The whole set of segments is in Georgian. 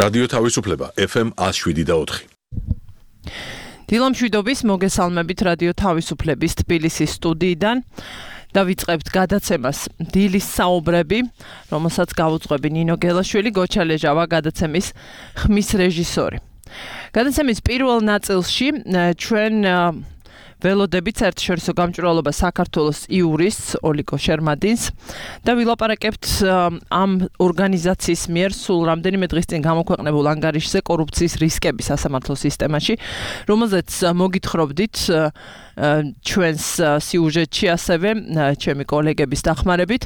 რადიო თავისუფლება FM 107.4. დილამშვიდობის მოგესალმებით რადიო თავისუფლების თბილისის სტუდიიდან. დავიწყებთ გადაცემას დილის საუბრები, რომელსაც გავუძღვები ნინო გელაშვილი, გოჩა ლეჟავა გადაცემის ხმის რეჟისორი. გადაცემის პირველ ნაწილში ჩვენ ველოდებით საერთაშორისო გამჭვირვალობა საქართველოს იურისტს ოლიკო შერმადინს და ვილაპარაკებთ ამ ორგანიზაციის მიერ სულ რამდენიმე დღის წინ გამოქვეყნებულ ანგარიშზე კორუფციის რისკები სასამართლო სისტემაში, რომელზეც მოგითხრობდით ჩვენს სიუჟეტში ასევე ჩემი კოლეგების დახმარებით.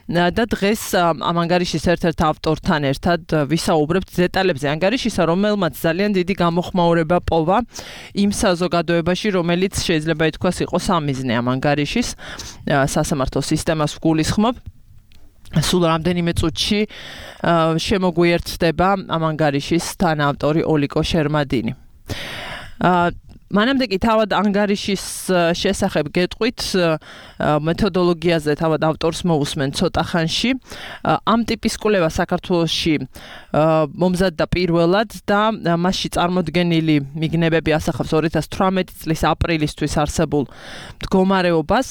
და დღეს ამ ანგარიშის ერთ-ერთ ავტორთან ერთად ვისაუბრებთ დეტალებზე ანგარიშისა, რომელმაც ძალიან დიდი გამოხმაურება პოვა იმ საზოგადოებაში, რომელიც შეიძლება ითქვას იყო სამიზნე ამ ანგარიშის სასამართლო სისტემას ვგულისხმობ. სულ რამდენიმე წუთში შემოგვიერთდება ამ ანგარიშის თანაავტორი ოლიკო შერმადინი. მანამდე კი თავად ანგარიშის შესახებ გეტყვით, მეთოდოლოგიაზე თავად ავტორს მოусმენ ცოტა ხანში. ამ ტიპის კვლევა საქართველოში მომზადდა პირველად და მასში წარმოდგენილი მიგნებები ასახავს 2018 წლის აპრილისთვის არსებულ მდგომარეობას.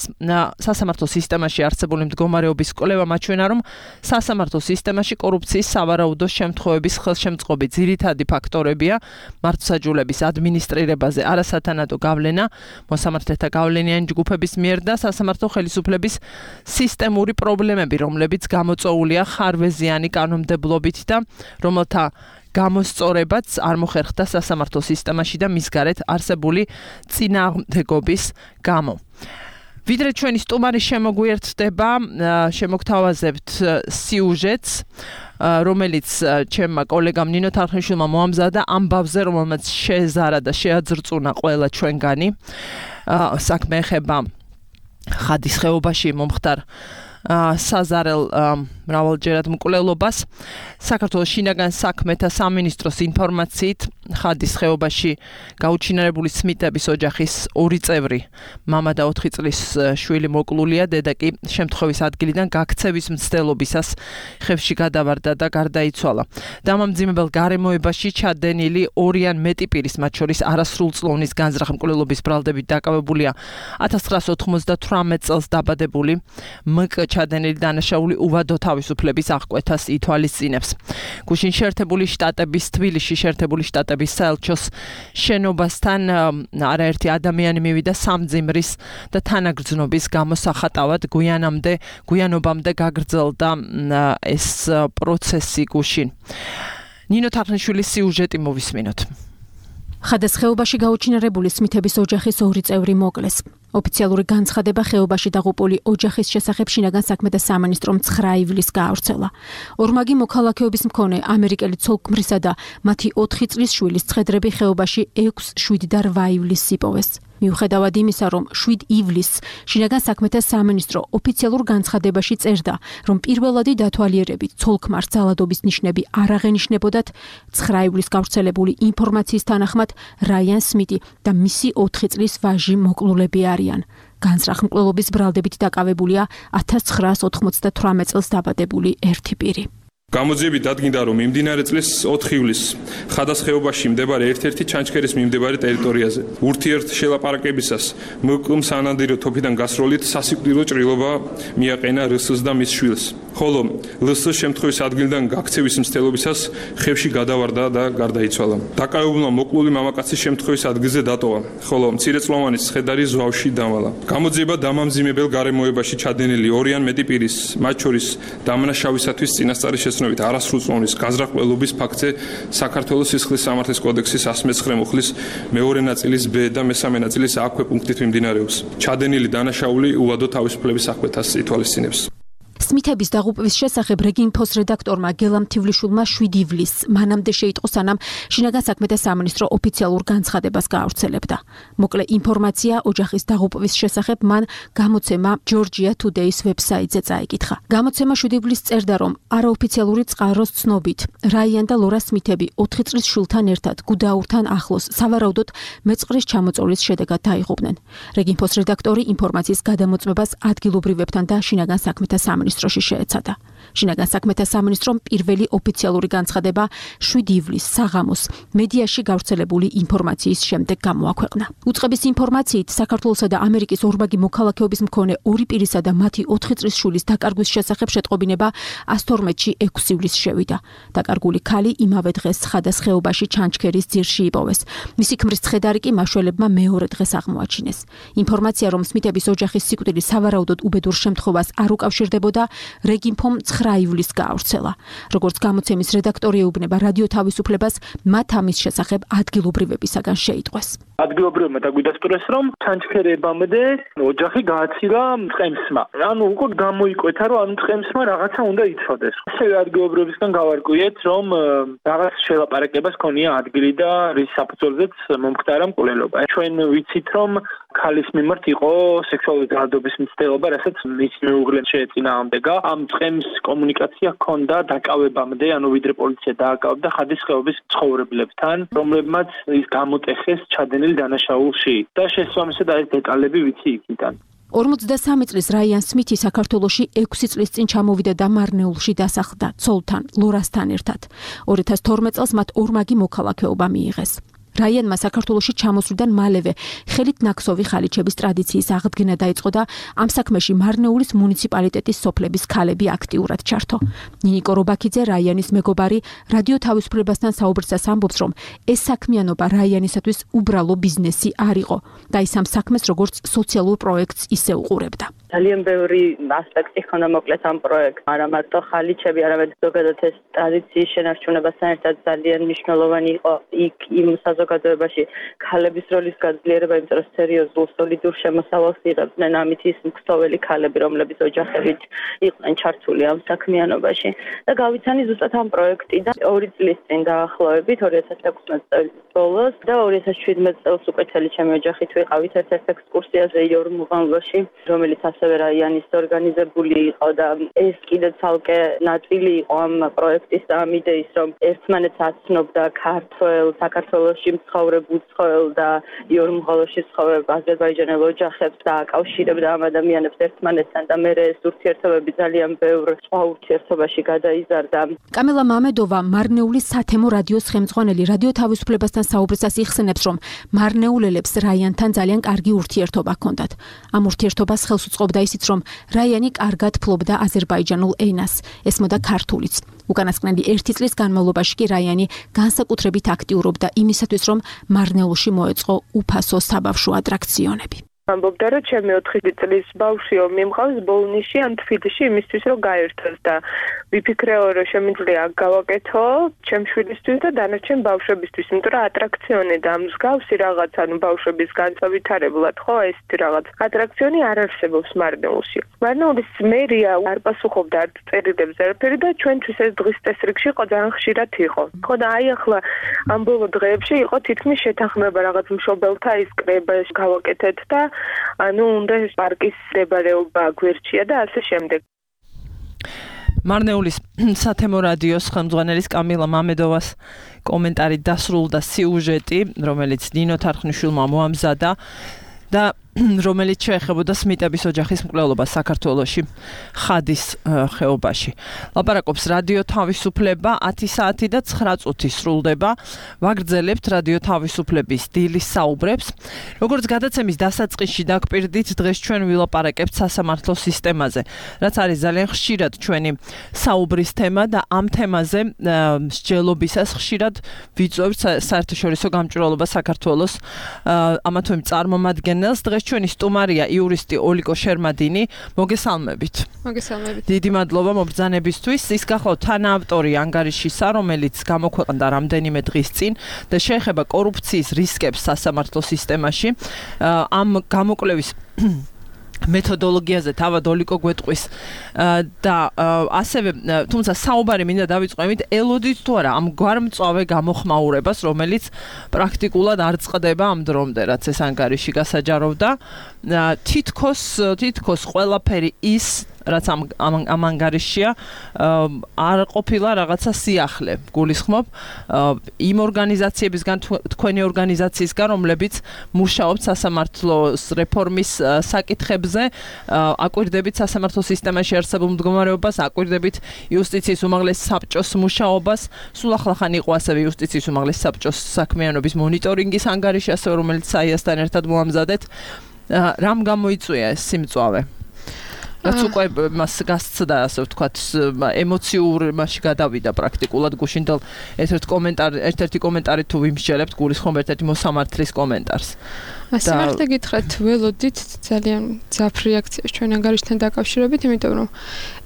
სასამართლო სისტემაში არსებული მდგომარეობის კვლევა მაჩვენა, რომ სასამართლო სისტემაში კორუფციის სავარაუდო შემთხვევების ხელშემწყობი ძირითადი ფაქტორებია მართლმსაჯულების ადმინისტრირებაზე არასათანადო გავლენა მოსამართლეთა გავლენიანი ჯგუფების მიერ და სასამართლო ხელისუფლების სისტემური პრობლემები, რომლებიც გამოწვეულია ხარვეზიანი კანონმდებლობით და რომელთა გამოსწორებაც არ მოხერხდა სასამართლო სისტემაში და მის გარეთ არსებული წინააღმდეგობის გამო. ვიდრე ჩვენი სტუმარი შემოგვიერთდება, შემოგთავაზებთ სიუჟეტს, რომელიც ჩემმა კოლეგამ ნინო თარხნიშვილმა მოამზადა ამბავზე, რომელმაც შეეზარა და შეაძრწუნა ყველა ჩვენგანი. საქმე ეხება ხადის ხეობაში მომხდარ საზარელ მრავალჯერად მკვლელობას. საქართველოს შინაგან საქმეთა სამინისტროს ინფორმაციით ხადის ხეობაში გაუჩინარებული სმიტების ოჯახის 2 წევრი, მამა და 4 წლის შვილი მოკლულია, დედა კი შემთხვევის ადგილიდან გაქცევის მცდელობისას ხევში გადავარდა და გარდაიცვალა. დამამძიმებელ გარემოებაში ჩადენილი 2 ან მეტი პირის, მათ შორის არასრულწლოვნის განზრახ მკვლელობის ბრალდებით დაკავებულია 1998 წელს დაბადებული მკ ჩადენილი დანაშაული უვადო თავისუფლების აღკვეთას ითვალისწინებს. გუშინ შეერთებული შტატების თბილისში შეერთებული შტატების საელჩოს შენობასთან არაერთი ადამიანი მივიდა სამძიმრის და თანაგრძნობის გამოსახატავად. გვიანობამდე გაგრძელდა ეს პროცესი გუშინ. ნინო თარხნიშვილის სიუჟეტი მოვისმინოთ. ხადის ხეობაში გაუჩინარებული სმითების ოჯახის 2 წევრი მოკლეს. ოფიციალური განცხადება ხეობაში დაღუპული ოჯახის შესახებ შინაგან საქმეთა სამინისტრომ 9 ივლისს გაავრცელა. ორმაგი მოქალაქეობის მქონე ამერიკელი ცოლ-ქმრისა და მათი 4 წლის შვილის ცხედრები ხეობაში 6, 7 და 8 ივლისს იპოვეს. მიუხედავად იმისა, რომ 7 ივლისს შინაგან საქმეთა სამინისტრო ოფიციალურ განცხადებაში წერდა, რომ პირველადი დათვალიერებით ცოლ-ქმარს ძალადობის ნიშნები არ აღენიშნებოდათ, 9 ივლისს გავრცელებული ინფორმაციის თანახმად რაიან სმიტი და მისი 4 წლის ვაჟი მოკლულები არიან. განზრახ მკვლელობის ბრალდებით დაკავებულია 1998 წელს დაბადებული ერთი პირი. გამოძიებით დადგინდა, რომ მიმდინარე წლის 4 ივლისს ხადას ხეობაში მდებარე ერთ-ერთი ჩანჩქერის მიმდებარე ტერიტორიაზე ურთიერთ შელაპარაკებისას მკ-მ სანადირო თოფიდან გასროლით სასიკვდილო ჭრილობა მიაყენა რს-ს და მის შვილს. ხოლო ლს შემთხვევის ადგილიდან გაქცევის მცდელობისას ხევში გადავარდა და გარდაიცვალა. დაკავებულმა მოკლული მამაკაცის შემთხვევის ადგილზე დატოვა, ხოლო მცირეწლოვანი ცხედარი ზვავში დავალა. გამოძიება დამამძიმებელ გარემოებაში ჩადენილი 2 ან მეტი პირის, მათ შორის დამნაშავისათვის წინასწარი შესწავლით არასრულწლოვნის განზრახ-მკვლელობის ფაქტზე საქართველოს სისხლის სამართლის კოდექსის 109 მუხლის მეორე ნაწილის ბ და მესამე ნაწილის ა ქვეპუნქტით მიმდინარეობს. ჩადენილი დანაშაული უვადო თავისუფლების აღკვეთას ითვალისწინებს. სმითების დაღუპვის შესახებ რეგინფოს რედაქტორმა გელამ თივლიშვილმა 7 ივლისს მანამდე შეიტყო, სანამ შინაგან საქმეთა სამინისტრო ოფიციალურ განცხადებას გაავრცელებდა. მოკლე ინფორმაცია ოჯახის დაღუპვის შესახებ მან გამოცემა Georgia Today-ს ვებსაიტზე წაიკითხა. გამოცემა 7 ივლისს წერდა, რომ არაოფიციალური წყაროს ცნობით რაიან და ლორა სმითები 4 წლის შვილთან ერთად გუდაურთან ახლოს სავარაუდოდ მეწყრის ჩამოწოლის შედეგად დაიღუპნენ. რეგინფოს რედაქტორი ინფორმაციის გადამოწმებას ადგილობრივებთან და შინაგან საქმეთა სამინისტროში შეეცადა. შინაგან საქმეთა სამინისტრომ პირველი ოფიციალური განცხადება 7 ივლისს საღამოს მედიაში გავრცელებული ინფორმაციის შემდეგ გამოაქვეყნა. უწყების ინფორმაციით, საქართველოსა და ამერიკის ორმაგი მოქალაქეობის მქონე ორი პირისა და მათი 4 წლის შვილის დაკარგვის შესახებ შეტყობინება 112-ში 6 ივლისს შევიდა. დაკარგული ქალი იმავე დღეს ცხადას ხეობაში ჩანჩქერის ძირში იპოვეს. მისი ქმრის ცხედარი კი მაშველებმა მეორე დღეს აღმოაჩინეს. ინფორმაცია, რომ სმითების ოჯახის სიკვდილი სავარაუდოდ უბედურ შემთხვევას არ უკავშირდებოდა, რეგინფომ 9 ივლისს გაავრცელა. როგორც გამოცემის რედაქტორი ეუბნება რადიო თავისუფლებას, მათ ამის შესახებ ადგილობრივებისაგან შეიტყვეს. ადგილობრივებმა დაგვიდასტურეს, რომ ჩანჩქერებამდე ოჯახი გააცირა მწყემსმა. ანუ უკვე გამოიკვეთა, რომ მწყემსმა რაღაცა უნდა იცოდეს. ასევე ადგილობრივებისგან გავარკვიეთ, რომ რაღაც შელაპარაკებას ქონია ადგილი და რის საფუძველზეც მომხდარა მკვლელობა. ჩვენ ვიცით, რომ ქალის მიმართ იყო სექსუალური ძალადობის მცდელობა, რასაც მის მეუღლემ შეეწინააღმდეგა. ამ წყემს კომუნიკაცია ჰქონდა დაკავებამდე, ანუ ვიდრე პოლიცია დააკავებდა ხადის ხეობის მცხოვრებლებთან, რომლებმაც ის გამოტეხეს ჩადენილი დანაშაულში და შესაბამისად ეს დეტალები ვიცი იქიდან. 53 წლის რაიან სმითი საქართველოში 6 წლის წინ ჩამოვიდა და მარნეულში დასახლდა ცოლთან, ლორასთან ერთად. 2012 წელს მათ ორმაგი მოქალაქეობა მიიღეს. რაიანმა საქართველოში ჩამოსვლიდან მალევე ხელით ნაქსოვი ხალიჩების ტრადიციის აღდგენა დაიწყო და ამ საქმეში მარნეულის მუნიციპალიტეტის სოფლების ქალები აქტიურად ჩართო. ნინიკო რობაქიძე, რაიანის მეგობარი, რადიო თავისუფლებასთან საუბრისას ამბობს, რომ ეს საქმიანობა რაიანისათვის უბრალო ბიზნესი არ იყო და ის ამ საქმეს როგორც სოციალურ პროექტს ისე უყურებდა. ძალიან ბევრი ასპექტი ჰქონდა მოკლედ ამ პროექტს, არა მარტო ხალიჩები, არამედ ზოგადად ეს ტრადიციის შენარჩუნებასთან ერთად ძალიან მნიშვნელოვანი იყო იქ იმ საზოგადოებაში ქალების როლის გაძლიერება, იმიტომ რომ სერიოზულ სოლიდურ შემოსავალს იღებდნენ ამით ის მგზოველი ქალები, რომლებიც ოჯახებით იყვნენ ჩართული ამ საქმიანობაში. და გავიცანი ზუსტად ამ პროექტიდან 2 წლის წინ დაახლოებით 2016 წლის ბოლოს და 2017 წელს უკვე წელი ჩემი ოჯახით ვიყავით ერთ-ერთ ექსკურსიაზე იორმუღანლოში, რომელიც ასევე რაიანის ორგანიზებული იყო და ეს კიდე ცალკე ნაწილი იყო ამ პროექტის და ამ იდეის, რომ ერთმანეთს აცნობდა ქართველ საქართველოში მცხოვრებულ ცხოველ და იორმუღალოში მცხოვრებ აზერბაიჯანელ ოჯახებს და აკავშირებდა ამ ადამიანებს ერთმანეთთან და მე ეს ურთიერთობები ძალიან ბევრ სხვა ურთიერთობაში გადაიზარდა. კამელა მამედოვა, მარნეულის სათემო რადიოს ხელმძღვანელი, რადიო თავისუფლებასთან საუბრისას იხსენებს, რომ მარნეულელებს რაიანთან ძალიან კარგი ურთიერთობა ჰქონდათ. ამ ურთიერთობას ხელს უწყობდა ისიც, რომ რაიანი კარგად ფლობდა აზერბაიჯანულ ენას, ესმოდა ქართულიც. უკანასკნელი 1 წლის განმავლობაში კი რაიანი განსაკუთრებით აქტიურობდა იმისათვის, რომ მარნეულში მოეწყო უფასო საბავშვო ატრაქციონები. ამბობდა, რომ ჩემი 4 წლის ბავშვიო მიმყავს ბოლნიში ან თბილისში იმისთვის, რომ გაერთოს და ვიფიქრეო, რომ შემიძლია გავაკეთო ჩემ შვილისთვის და დანარჩენ ბავშვებისთვის, იმიტომ რომ ატრაქციონი და მსგავსი რაღაც, ანუ ბავშვების განსავითარებლად, ხო, ესეთი რაღაც ატრაქციონი არ არსებობს მარნეულში. მარნეულის მერია არ პასუხობდა არც წერილებზე არაფერი და ჩვენთვის ეს დღის წესრიგში იყო ძალიან ხშირად იყო. ხო და აი ახლა ამ ბოლო დღეებში იყო თითქმის შეთანხმება რაღაც მშობელთა ის კრება გავაკეთეთ და ანუ უნდა პარკის მდებარეობა გვერდშია და ასე შემდეგ. მარნეულის სათემო რადიოს ხელმძღვანელის კამილა მამედოვას კომენტარი დასრულდა სიუჟეტი, რომელიც ნინო თარხნიშვილმა მოამზადა და რომელიც შეეხებოდა სმიტების ოჯახის მკვლელობას საქართველოში ხადის ხეობაში. ლაპარაკობს რადიო თავისუფლება 10 საათი და 9 წუთი სრულდება. ვაგრძელებთ რადიო თავისუფლების დილის საუბრებს. როგორც გადაცემის დასაწყისში დაგპირდით, დღეს ჩვენ ვილაპარაკებთ სასამართლო სისტემაზე, რაც არის ძალიან ხშირად ჩვენი საუბრის თემა და ამ თემაზე მსჯელობისას ხშირად ვიწვევთ საერთაშორისო გამჭვირვალობა საქართველოს ამა თუ იმ წარმომადგენელს. დღეს ჩვენი სტუმარია იურისტი ოლიკო შერმადინი. მოგესალმებით. მოგესალმებით. დიდი მადლობა მობრძანებისთვის. ის გახლავთ თანაავტორი ანგარიშისა, რომელიც გამოქვეყნდა რამდენიმე დღის წინ და შეეხება კორუფციის რისკებს სასამართლო სისტემაში. ამ გამოკვლევის მეთოდოლოგიაზე თავად ოლიკო გვეტყვის და ასევე თუმცა საუბარი მინდა დავიწყო იმით, ელოდით თუ არა ამ გვარმწვავე გამოხმაურებას, რომელიც პრაქტიკულად არ წყდება ამ დრომდე, რაც ეს ანგარიში გასაჯაროვდა. თითქოს ყველაფერი ის რაც ამ ანგარიშია, არ ყოფილა რაღაცა სიახლე. გულისხმობ იმ ორგანიზაციებისგან, თქვენი ორგანიზაციისგან, რომლებიც მუშაობთ სასამართლოს რეფორმის საკითხებზე, აკვირდებით სასამართლო სისტემაში არსებულ მდგომარეობას, აკვირდებით იუსტიციის უმაღლეს საბჭოს მუშაობას, სულ ახლახან იყო ასევე იუსტიციის უმაღლეს საბჭოს საქმიანობის მონიტორინგის ანგარიში, ასევე რომელიც საიასთან ერთად მოამზადეთ. რამ გამოიწვია ეს სიმწვავე? რაც უკვე მას გასცდა, ასე ვთქვათ, ემოციურ მასში გადავიდა პრაქტიკულად გუშინდელ ერთ-ერთი კომენტარი თუ ვიმსჯელებთ, გულისხმობ ერთ-ერთი მოსამართლის კომენტარს. სიმართლე გითხრათ, ველოდით ძალიან ძაფ რეაქციას ჩვენ ანგარიშთან დაკავშირებით, იმიტომ რომ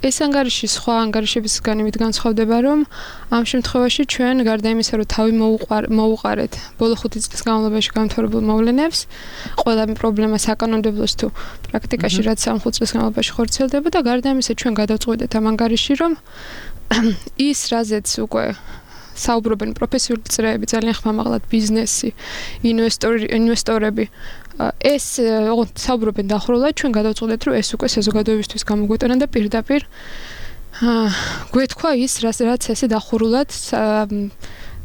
ეს ანგარიში სხვა ანგარიშებისგან იმით განსხვავდება, რომ ამ შემთხვევაში ჩვენ გარდა იმისა, რომ თავი მოუყარეთ ბოლო 5 წლის განმავლობაში გამთავრებულ მოვლენებს, ყველა პრობლემა საკანონმდებლოს თუ პრაქტიკაში რაც ამ 5 წლის განმავლობაში ხორციელდება და გარდა იმისა ჩვენ გადავწყვეტეთ ამ ანგარიში, რომ ის რაზეც უკვე საუბრობენ პროფესიული წრეები, ძალიან ხმამაღლად ბიზნესი, ინვესტორები. ეს საუბრობენ დახურულად, ჩვენ გადავწყვეტეთ, რომ ეს უკვე საზოგადოებისთვის გამოგვეტანა და პირდაპირ გვეთქვა ის, რაც ესე დახურულად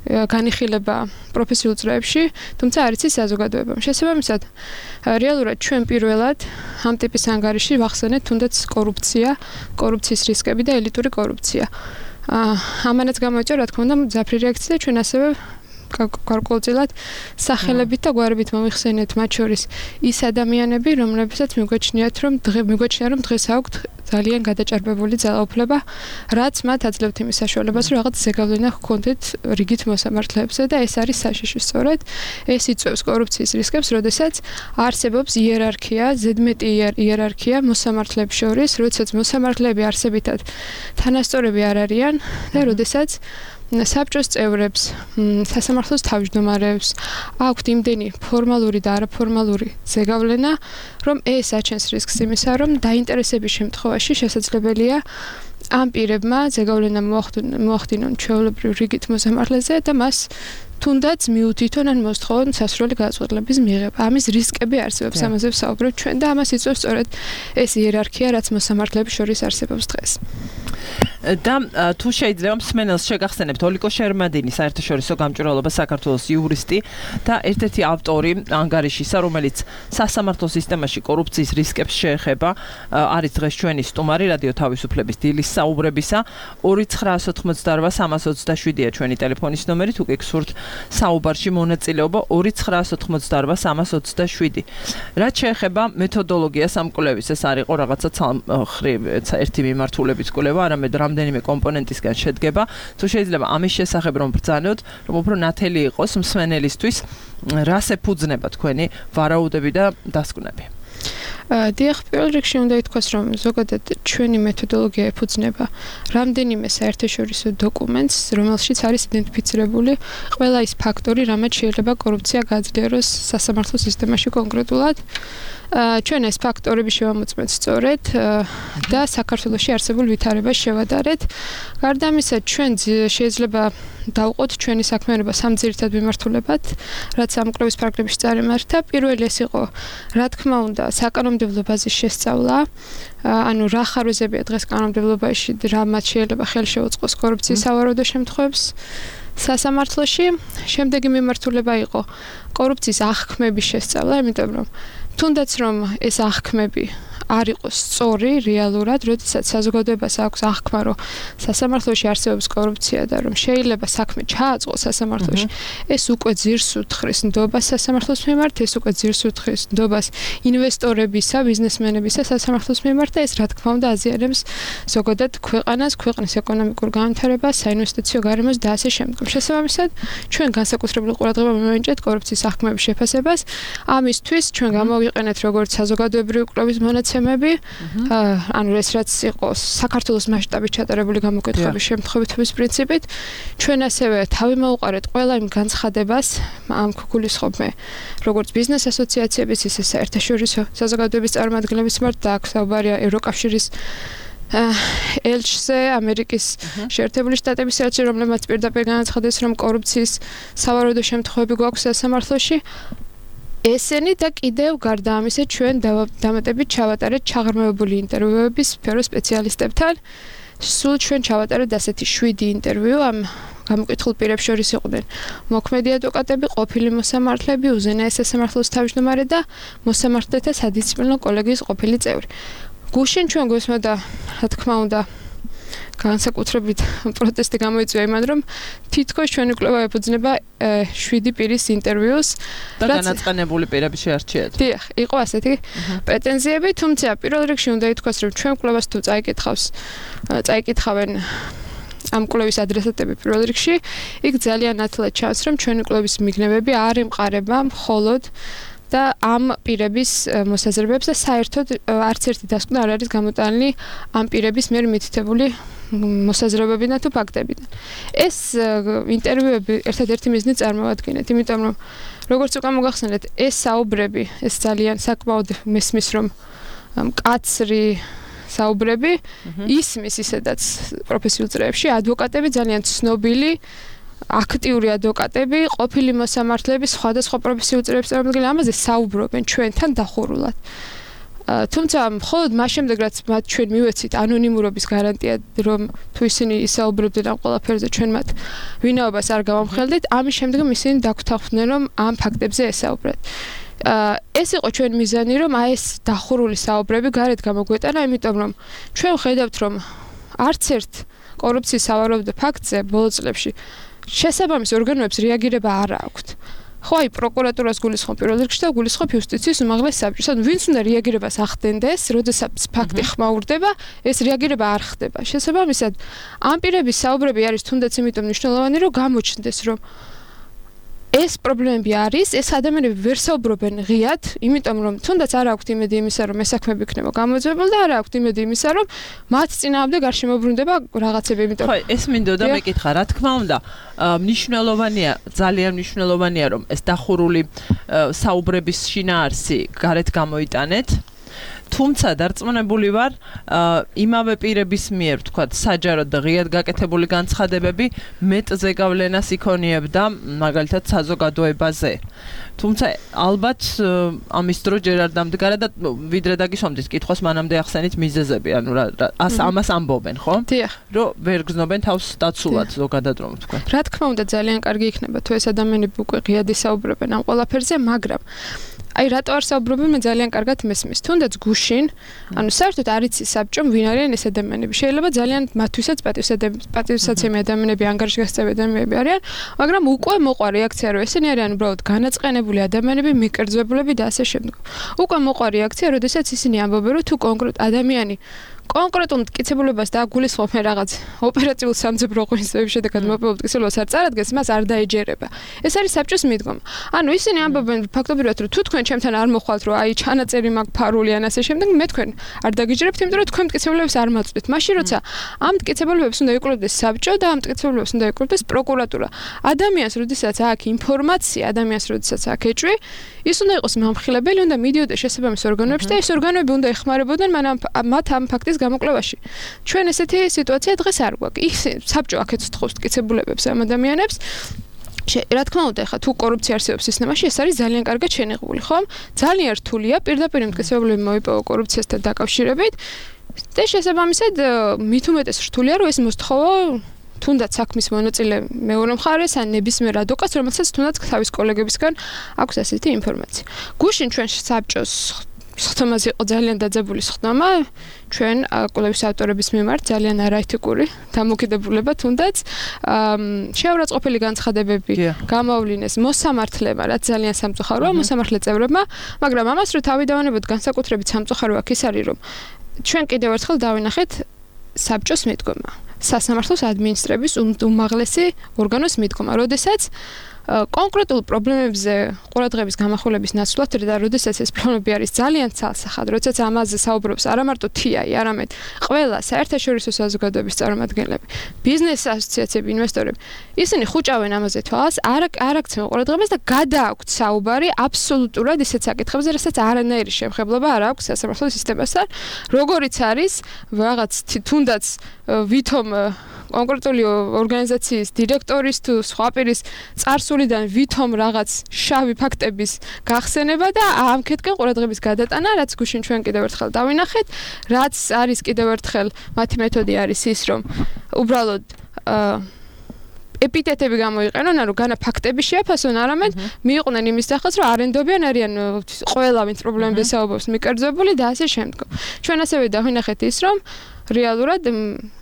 განიხილება პროფესიულ წრეებში, თუმცა არ იცის საზოგადოებამ. შესაბამისად, რეალურად ჩვენ პირველად ამ ტიპის ანგარიში ვახსენეთ თუნდაც კორუფციის რისკები და ელიტური კორუფცია. ამანაც გამოიწვია, რა თქმა უნდა, ძაფრი რეაქცია და ჩვენ ასევე გარკვეულწილად სახელებით და გვარებით მომიხსენეთ მათ შორის ის ადამიანები, რომლებსაც მიგვაჩნიათ, რომ დღეს აქვთ ძალიან გადაჭარბებული ძალაუფლება, რაც მათ აძლევთ იმის საშუალებას, რომ რაღაც ზეგავლენა ჰქონდეთ რიგით მოსამართლეებზე და ეს არის საშიში სწორედ. ეს იწვევს კორუფციის რისკებს, როდესაც არსებობს იერარქია, ზედმეტი იერარქია მოსამართლეებს შორის, როდესაც მოსამართლეები არსებითად თანასწორები არ არიან და როდესაც საბჭოს წევრებს, სასამართლოს თავმჯდომარებს აქვთ იმდენი ფორმალური და არაფორმალური ზეგავლენა, რომ ეს აჩენს რისკს იმისა, რომ დაინტერესების შემთხვევაში შესაძლებელია ამ პირებმა ზეგავლენა მოახდინონ ჩვეულებრივ რიგით მოსამართლეზე და მას თუნდაც მიუთითონ ან მოსთხოვონ სასურველი გადაწყვეტილების მიღება. ამის რისკები არსებობს, ამაზე ვსაუბრობ ჩვენ და ამას იწვევს სწორედ ეს იერარქია, რაც მოსამართლეების შორის არსებობს დღეს. და თუ შეიძლება მსმენელს შეგახსენებთ ოლიკო შერმადინი, საერთაშორისო გამჭვირვალობა საქართველოს იურისტი და ერთ-ერთი ავტორი ანგარიშისა, რომელიც სასამართლო სისტემაში კორუფციის რისკებს შეეხება, არის დღეს ჩვენი სტუმარი რადიო თავისუფლების დილის საუბრებისა. 2988327-ია ჩვენი ტელეფონის ნომერი, თუ გიგსურთ საუბარში მონაწილეობა 2988327. რაც შეეხება მეთოდოლოგიას ამ კვლევის, ეს არ იყო რაღაცა ერთი მიმართულებით კვლევა, არამედ რამდენიმე კომპონენტისგან შედგება. თუ შეიძლება ამის შესახებ რომ ბრძანოთ, რომ უფრო ნათელი იყოს მსმენელისთვის, რას ეფუძნება თქვენი ვარაუდები და დასკვნები? დიახ, პირველ რიგში უნდა ითქვას, რომ ზოგადად ჩვენი მეთოდოლოგია ეფუძნება რამდენიმე საერთაშორისო დოკუმენტს, რომელშიც არის იდენტიფიცირებული ყველა ის ფაქტორი, რამაც შეიძლება კორუფცია გააძლიეროს სასამართლო სისტემაში კონკრეტულად. ჩვენ ეს ფაქტორები შევამოწმეთ სწორედ და საქართველოში არსებულ ვითარებას შევადარეთ. გარდა ამისა, ჩვენ შეიძლება დავყოთ ჩვენი საქმიანობა სამ ძირითად მიმართულებად, რაც ამ კვლევის პარაგრაფში წარიმართა. პირველი ეს იყო, რა თქმა უნდა, საკანონმდებლო ბაზის შესწავლა, ანუ რა ხარვეზებია დღეს კანონმდებლობაში, რამაც შეიძლება ხელი შეუწყოს კორუფციის სავარაუდო შემთხვევებს სასამართლოში. შემდეგი მიმართულება იყო კორუფციის აღქმების შესწავლა, იმიტომ რომ თუნდაც რომ ეს აღქმები არ იყოს სწორი რეალურად, როდესაც საზოგადოებას აქვს აღქმა, რომ სასამართლოში არსებობს კორუფცია და რომ შეიძლება საქმე ჩააწყოს სასამართლოში, ეს უკვე ძირს უთხრეს ნდობას სასამართლოს მიმართ, ეს უკვე ძირს უთხრეს ნდობას ინვესტორებისა, ბიზნესმენებისა სასამართლოს მიმართ და ეს რა თქმა უნდა აზიანებს ზოგადად ქვეყნის ეკონომიკურ განვითარებას, საინვესტიციო გარემოს და ასე შემდეგ. შესაბამისად, ჩვენ განსაკუთრებული ყურადღება მივენიჭეთ კორუფციის აღქმების შეფასებას. ამისთვის ჩვენ გამოვიყენეთ როგორც საზოგადოებრივი კვლევის მონაცემები, ანუ ეს რაც იყო საქართველოს მასშტაბით ჩატარებული გამოკითხების შემთხვევების პრინციპით, ჩვენ ასევე თავი მოუყარეთ ყველა იმ განცხადებას, ამ გულისხმობ როგორც ბიზნეს ასოციაციების, ისე საერთაშორისო საზოგადოების წარმომადგენლების მიმართ და აქ საუბარია ევროკავშირის ელჩზე, ამერიკის შეერთებული შტატების ელჩზე, რომლებმაც პირდაპირ განაცხადეს, რომ კორუფციის სავარაუდო შემთხვევები გვაქვს სასამართლოში. ესენი და კიდევ გარდა ამისა ჩვენ დამატებით ჩავატარეთ ჩაღრმავებული ინტერვიუების სფერო სპეციალისტებთან. სულ ჩვენ ჩავატარეთ ასეთი 7 ინტერვიუ ამ გამოკითხულ პირებს შორის იყვნენ მოქმედი ადვოკატები, ყოფილი მოსამართლეები, უზენაეს სასამართლოს თავმჯდომარე და მოსამართლეთა სადისციპლინო კოლეგიის ყოფილი წევრი. გუშინ ჩვენ გვესმოდა, რა თქმა უნდა, განსაკუთრებით პროტესტი გამოიწვია იმან, რომ თითქოს ჩვენი კვლევა ეფუძნება 7 პირის ინტერვიუს და განაწყენებული პირების შეარჩიეთ. დიახ, იყო ასეთი პრეტენზიები, თუმცა პირველ რიგში უნდა ითქვას, რომ ჩვენ კვლევას თუ წაიკითხავენ ამ კვლევის ადრესატები პირველ რიგში, იქ ძალიან ნათლად ჩანს, რომ ჩვენი კვლევის მიგნებები არ ემყარება მხოლოდ და ამ პირების მოსაზრებებს და საერთოდ არც ერთი დასკვნა არ არის გამოტანილი ამ პირების მიერ მითითებული მოსაზრებებიდან თუ ფაქტებიდან. ეს ინტერვიუები ერთადერთი მიზნით წარმოადგენთ, იმიტომ რომ როგორც უკვე მოგახსენეთ, ეს საუბრები, ეს ძალიან საკმაოდ მესმის რომ მკაცრი საუბრები ისმის ისედაც პროფესიულ წრეებში ადვოკატები ძალიან ცნობილი აქტიური ადვოკატები, ყოფილი მოსამართლეები, სხვადასხვა პროფესიულ წრეებში წარმოადგენენ ამაზე საუბრობენ ჩვენთან დახურულად. თუმცა მხოლოდ მას შემდეგ რაც მათ ჩვენ მივეცით ანონიმურობის გარანტია, რომ თუ ისინი ისაუბრებდნენ ამ ყველაფერზე, ჩვენ მათ ვინაობას არ გავამხელდით, ამის შემდეგ ისინი დაგვთანხმდნენ, რომ ამ ფაქტებზე ესაუბრათ. ეს იყო ჩვენ მიზანი, რომ აი ეს დახურული საუბრები გარეთ გამოგვეტანა, იმიტომ რომ ჩვენ ვხედავთ, რომ არც ერთ კორუფციის სავარაუდო ფაქტზე ბოლო წლებში შესაბამის ორგანოებს რეაგირება არ აქვთ. ხო, აი პროკურატურას გულისხმობ პირველ რიგში და გულისხმობ იუსტიციის უმაღლეს საბჭოს. ანუ ვინც უნდა რეაგირებას ახდენდეს, როდესაც ფაქტი ხმაურდება, ეს რეაგირება არ ხდება. შესაბამისად, ამ პირების საუბრები არის თუნდაც იმიტომ მნიშვნელოვანი, რომ გამოჩნდეს, რომ ეს პრობლემები არის, ეს ადამიანები ვერ საუბრობენ ღიად, იმიტომ რომ თუნდაც არ აქვთ იმედი იმისა, რომ ეს საქმეები იქნება გამოძიებული და არ აქვთ იმედი იმისა, რომ მათ წინააღმდეგ არ შემოbrunდება რაღაცები, იმიტომ ხო, ეს მინდოდა მეკითხა, რა თქმა უნდა, მნიშვნელოვანია, ძალიან მნიშვნელოვანია, რომ ეს დახურული საუბრების შინაარსი გარეთ გამოიტანეთ. თუმცა დარწმუნებული ვარ, იმავე პირების მიერ, თქვათ, საჯაროდ და ღიად გაკეთებული განცხადებები მეტზე გავლენას იქონიებდა, მაგალითად, საზოგადოებაზე. თუმცა ალბათ ამის დრო ჯერ არ დამდგარა და ვიდრე დაგისვამდით კითხვას, მანამდე ახსენით მიზეზები, ანუ ამას ამბობენ, ხო? დიახ. რომ ვერ გზნობენ თავს დაცულად ზოგადად რომ თქვა. რა თქმა უნდა, ძალიან კარგი იქნება თუ ეს ადამიანები უკვე ღიად ისაუბრებენ ამ ყველაფერზე, მაგრამ აი რატო არ საუბრობენ, მე ძალიან კარგად მესმის. თუნდაც გუშინ, ანუ საერთოდ არ იცის საბჭომ ვინ არიან ეს ადამიანები. შეიძლება ძალიან მათთვისაც პატივსაცემი ადამიანები, ანგარიშგასწევი ადამიანები არიან, მაგრამ უკვე მოყვა რეაქცია, რომ ესენი არიან უბრალოდ განაწყენებული ადამიანები, მიკერძვებულები და ასე შემდეგ. უკვე მოყვა რეაქცია, როდესაც ისინი ამბობენ, რომ თუ კონკრეტ ადამიანი კონკრეტულ მტკიცებულებას დააგულისხმობენ რაღაც ოპერაციულ სამძებრო ღონისძიების შედეგად მოპოვებულ მტკიცებულებას არ წარადგენს, მას არ დაეჯერება. ეს არის საბჭოს მიდგომა. ანუ ისინი ამბობენ ფაქტობრივად, რომ თუ თქვენ ჩემთან არ მოხვალთ, რომ აი ჩანაწერი მაქვს ფარული ან ასე შემდეგ, მე თქვენ არ დაგიჯერებთ, იმიტომ რომ თქვენ მტკიცებულებას არ მაწვდით. მაშინ როცა ამ მტკიცებულებას უნდა იკვლევდეს საბჭო და ამ მტკიცებულებას უნდა იკვლევდეს პროკურატურა. ადამიანს, როდესაც აქვს ინფორმაცია, ადამიანს, როდესაც აქვს ეჭვი, ის უნდა იყოს მომხილებელი, უნდა მიდიოდეს შესაბამის ორგანოებში და ეს ორგანოები უნდა ეხმარებოდნენ მათ ამ ფაქტის გამოკვლევაში. ჩვენ ესეთი სიტუაცია დღეს არ გვაქვს. ის საბჭო აქეთ თხოვს მტკიცებულებებს ამ ადამიანებს. რა თქმა უნდა, ხა თუ კორუფცია არსებობს სისტემაში, ეს არის ძალიან კარგად შენიღებული, ხომ? ძალიან რთულია პირდაპირ მტკიცებულები მოიპოვო კორუფციასთან დაკავშირებით და შესაბამისად მით უმეტეს რთულია, რომ ეს მოსთხოვა თუნდაც საქმის მონაწილე მეორე მხარეს ან ნებისმიერ ადვოკატს, რომელსაც თუნდაც თავის კოლეგებისგან აქვს ასეთი ინფორმაცია. გუშინ ჩვენ საბჭოს ხთომაზე იყო ძალიან დაძაბული ხთომა, ჩვენ კოლეგის ავტორების მიმართ ძალიან არაეთიკური დამოკიდებულება თუნდაც შეურაცხყოფილი განცხადებები გამოავლინეს მოსამართლებმა, რაც ძალიან სამწუხაროა მოსამართლე წევრებმა, მაგრამ ამას რო თავი დავანებოთ განსაკუთრებით სამწუხარო აქ ის არის, რომ ჩვენ კიდევ ერთხელ დავინახეთ საბჭოს მიდგომა. სასამართლოს ადმინისტრების უმაღლესი ორგანოს მიდგომა, როდესაც კონკრეტულ პრობლემებზე ყურადღების გამახვილების ნაცვლად და როდესაც ეს პრობლემები არის ძალიან ცალსახად, როდესაც ამაზე საუბრობს არა მარტო TI, არამედ ყველა საერთაშორისო საზოგადოების წარმომადგენლები, ბიზნეს ასოციაციები, ინვესტორები, ისინი ხუჭავენ ამაზე თვალს, არ აქცევენ ყურადღებას და გადააქვთ საუბარი აბსოლუტურად ისეთ საკითხებზე, რასაც არანაირი შემხებლობა არ აქვს სასამართლო სისტემასთან, როგორიც არის რაღაც თუნდაც ვითომ კონკრეტული ორგანიზაციის დირექტორის თუ სხვა პირის წარსულიდან ვითომ რაღაც შავი ფაქტების გახსენება და ამქეთკენ ყურადღების გადატანა, რაც გუშინ ჩვენ კიდევ ერთხელ დავინახეთ, რაც არის კიდევ ერთხელ მათი მეთოდი არის ის, რომ უბრალოდ ეპიტეტები გამოიყენონ, ანუ განა ფაქტები შეაფასონ, არამედ მიიყვნენ იმის სახელს, რომ არენდობიან არიან ყველა ვინც პრობლემებს საუბრობს მიკერძებული და ასე შემდგომ. ჩვენ ასევე დავინახეთ ის, რომ რეალურად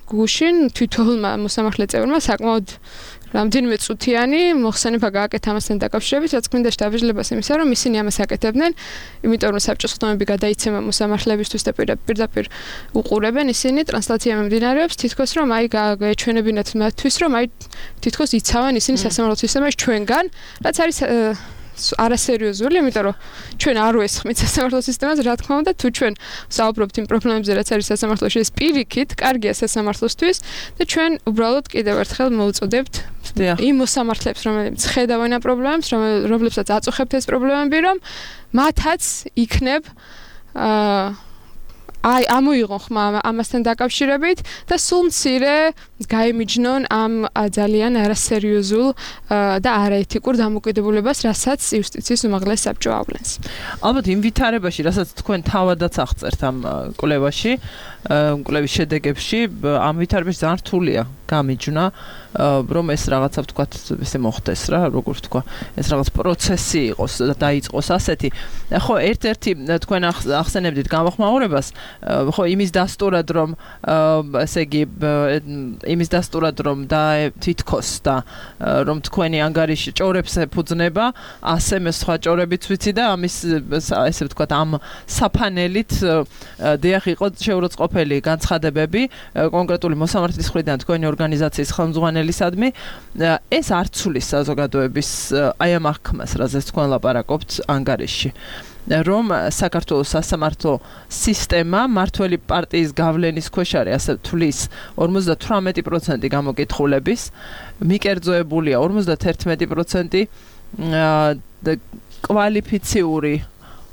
გუშინ თვითონმა მოსამართლე წევრმა საკმაოდ რამდენიმე წუთიანი მოხსენება გააკეთა ამასთან დაკავშირებით, რაც გვინდა შეტაბილებას იმისა, რომ ისინი ამას აკეთებდნენ, იმიტომ რომ საბჭოს ხდომები გადაიცემა მოსამართლებისთვის და პირდაპირ უყურებენ ისინი ტრანსლაცია მიმდინარეობს, თითქოს რომ აი გაეჩვენებინათ მათთვის, რომ აი თითქოს იცავენ ისინი სასამართლო სისტემაში ჩვენგან, რაც არის არასერიოზული, იმიტომ რომ ჩვენ არ ვესხმით სასამართლო სისტემას, რა თქმა უნდა, თუ ჩვენ საუბრობთ იმ პრობლემებზე, რაც არის სასამართლოში, ეს პირიქით კარგია სასამართლოსთვის და ჩვენ უბრალოდ კიდევ ერთხელ მოვუწოდებთ იმ მოსამართლეებს, რომლებიც ხედავენ ამ პრობლემებს, რომლებსაც აწუხებთ ეს პრობლემები, რომ მათაც იქნებ აი ამოიღონ ხმა ამასთან დაკავშირებით და სულ მცირე გაიმიჯნონ ამ ძალიან არასერიოზულ და არაეთიკურ დამოკიდებულებას, რასაც იუსტიციის უმაღლეს საბჭო ავლენს. ალბათ იმ ვითარებაში, რასაც თქვენ თავადაც აღწერთ ამ კვლევაში, კვლევის შედეგებში, ამ ვითარებაში ძალიან რთულია გამიჯნა, რომ ეს რაღაცა ვთქვათ, ესე მოხდეს რა, როგორ ვთქვა, ეს რაღაც პროცესი იყოს და დაიწყოს ასეთი. ხო, ერთ-ერთი თქვენ ახსენებდით გამოხმაურებას, ხო, იმის დასტურად რომ ესე იგი იმის დასტურად რომ და თითქოს და რომ თქვენი ანგარიში ჭორებს ეფუძნება, ასე მე სხვა ჭორებიც ვიცი და ამის ესე ვთქვათ ამ საფანელით დიახ იყო შეურაცხყოფელი განცხადებები კონკრეტული მოსამართლის მხრიდან თქვენი ორგანიზაციის ხელმძღვანელისადმი, ეს არ ცulis საზოგადოების აი ამ აღქმას, რაზეც თქვენ ლაპარაკობთ ანგარიში. რომ საქართველოს სასამართლო სისტემა მართველი პარტიის გავლენის ქვეშ არის, ასე თulis 58% გამოკითხულების, მიკერძოებულია 51% კვალიფიციური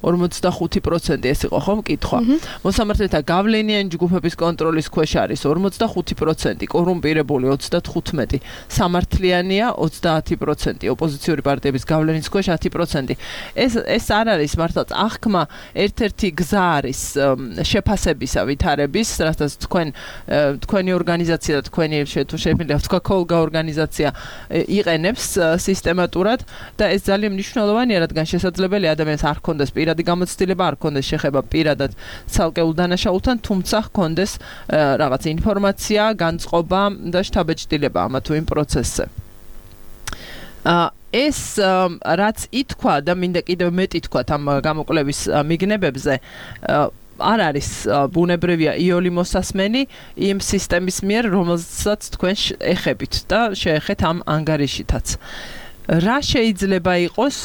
45% ეს იყო ხო მკითხვა. მოსამართლეთა გავლენიანი ჯგუფების კონტროლის ქვეშ არის 45%, კორუმპირებული 35%, სამართლიანია 30%, ოპოზიციური პარტიების გავლენის ქვეშ 10%. ეს არ არის მართლაც აღქმა, ერთ-ერთი გზა არის შეფასებისა ვითარების, რასაც თქვენი ორგანიზაცია და თქვენი შეფასებილი თქვა კოლგა ორგანიზაცია იყენებს სისტემატურად და ეს ძალიან მნიშვნელოვანია, რადგან შესაძლებელი ადამიანს არ ქონდეს პირადი გამოცდილება, არ ქონდეს შეხება პირადად ცალკეულ დანაშაულთან, თუმცა ჰქონდეს რაღაც ინფორმაცია, განწყობა და შთაბეჭდილება ამა თუ იმ პროცესზე. ეს რაც ითქვა და მინდა კიდევ მეტი თქვათ ამ გამოკვლევის მიგნებებზე, არ არის ბუნებრივია იოლი მოსასმენი იმ სისტემის მიერ, რომელსაც თქვენ ეხებით და შეეხეთ ამ ანგარიშითაც. რა შეიძლება იყოს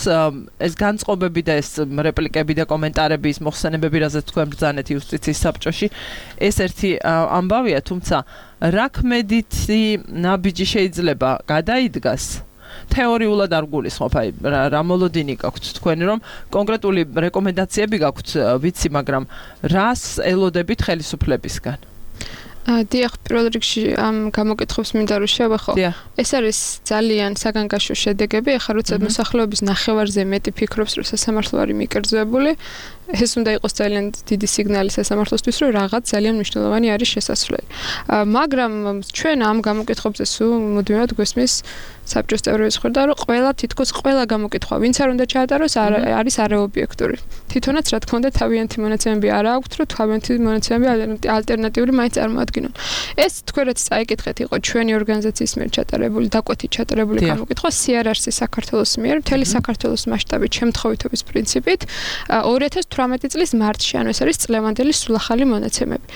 ეს განწყობები და ეს რეპლიკები და კომენტარები, ის მოხსენებები, რაზეც თქვენ ბრძანეთ იუსტიციის საბჭოში, ეს ერთი ამბავია, თუმცა რა ქმედითი ნაბიჯი შეიძლება გადაიდგას? თეორიულად არ გულისხმობ, აი რა მოლოდინი გაქვთ თქვენ, რომ კონკრეტული რეკომენდაციები გაქვთ, ვიცი, მაგრამ რას ელოდებით ხელისუფლებისგან? დიახ, პირველ რიგში ამ გამოკითხებს მინდა რომ შევეხო. ეს არის ძალიან საგანგაშო შედეგები, ახლა როცა მოსახლეობის ნახევარზე მეტი ფიქრობს, რომ სასამართლო არის მიკერძოებული, ეს უნდა იყოს ძალიან დიდი სიგნალი სასამართლოსთვის, რომ რაღაც ძალიან მნიშვნელოვანი არის შესასვლელი. მაგრამ ჩვენ ამ გამოკითხებზე სულ მუდმივად გვესმის საბჭოს წევრების მხრიდან, რომ თითქოს ყველა გამოკითხვა, ვინც არ უნდა ჩაატაროს, არის არაობიექტური. თვითონაც რა თქმა უნდა თავიანთი მონაცემები არ აქვთ, რომ თავიანთი მონაცემები ალტერნატიული მაინც წარმოადგინონ. ეს თქვენ რაც წაიკითხეთ, იყო ჩვენი ორგანიზაციის მიერ ჩატარებული, დაკვეთით ჩატარებული გამოკითხვა CRRC საქართველოს მიერ, მთელი საქართველოს მასშტაბით შემთხვევითობის პრინციპით 2018 წლის მარტში, ანუ ეს არის წლევანდელი სულახალი მონაცემები.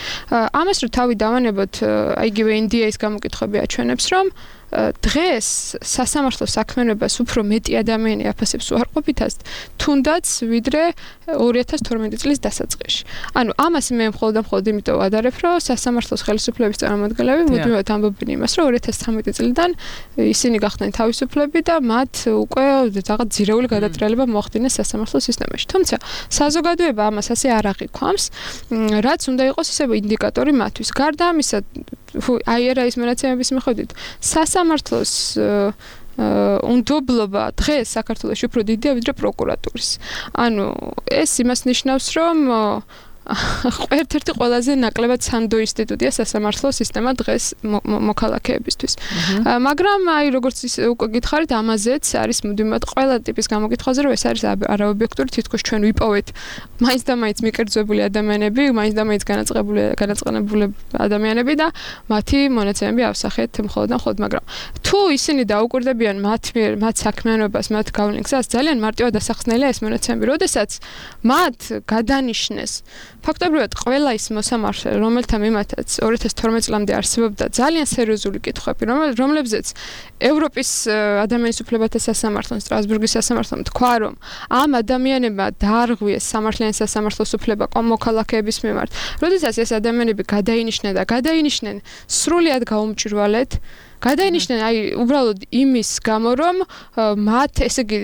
ამას რო თავი დავანებოთ, იგივე NDA-ის გამოკითხვები აჩვენებს, რომ დღეს სასამართლო საქმიანობას უფრო მეტი ადამიანი აფასებს უარყოფითად, თუნდაც ვიდრე 2012 წლის დასაწყისში. ანუ ამას მე მხოლოდ იმიტომ ვადარებ, რომ სასამართლოს ხელისუფლების წარმომადგენლები მუდმივად ამბობენ იმას, რომ 2013 წლიდან ისინი გახდნენ თავისუფლები და მათ უკვე რაღაც ძირეული გადატრიალება მოახდინეს სასამართლო სისტემაში. თუმცა საზოგადოება ამას ასე არ აღიქვამს, რაც უნდა იყოს ისე ინდიკატორი მათთვის. გარდა ამისა, IRA-ის მონაცემების მიხედვით სასამართლოს უნდობლობა დღეს საქართველოში უფრო დიდია ვიდრე პროკურატურის. ანუ ეს იმას ნიშნავს, რომ ერთ-ერთი ყველაზე ნაკლებად სანდო ინსტიტუტია სასამართლო სისტემა დღეს მოქალაქეებისთვის. მაგრამ აი როგორც უკვე გითხარით, ამაზეც არის მუდმივად ყველა ტიპის გამოკითხვაზე, რომ ეს არის არაობიექტური, თითქოს ჩვენ ვიპოვეთ მაინც და მაინც მიკერძებული ადამიანები, მაინც და მაინც განაწყენებული ადამიანები და მათი მონაცემები ავსახეთ მხოლოდ და მხოლოდ, მაგრამ თუ ისინი დაუკვირდებიან მათ საქმიანობას, მათ გავლენას, ძალიან მარტივად დასახსნელია ეს მონაცემები, როდესაც მათ გადანიშნეს ფაქტობრივად ყველა ის მოსამართლე, რომელთა მიმართაც 2012 წლამდე არსებობდა ძალიან სერიოზული კითხვები, რომლებზეც ევროპის ადამიანის უფლებათა სასამართლომ, სტრასბურგის სასამართლომ თქვა, რომ ამ ადამიანებმა დაარღვიეს სამართლიანი სასამართლოს უფლება მოქალაქეების მიმართ. როდესაც ეს ადამიანები გადაინიშნენ სრულიად გაუმჭირვალედ, გადაინიშნენ აი უბრალოდ იმის გამო, რომ მათ ესე იგი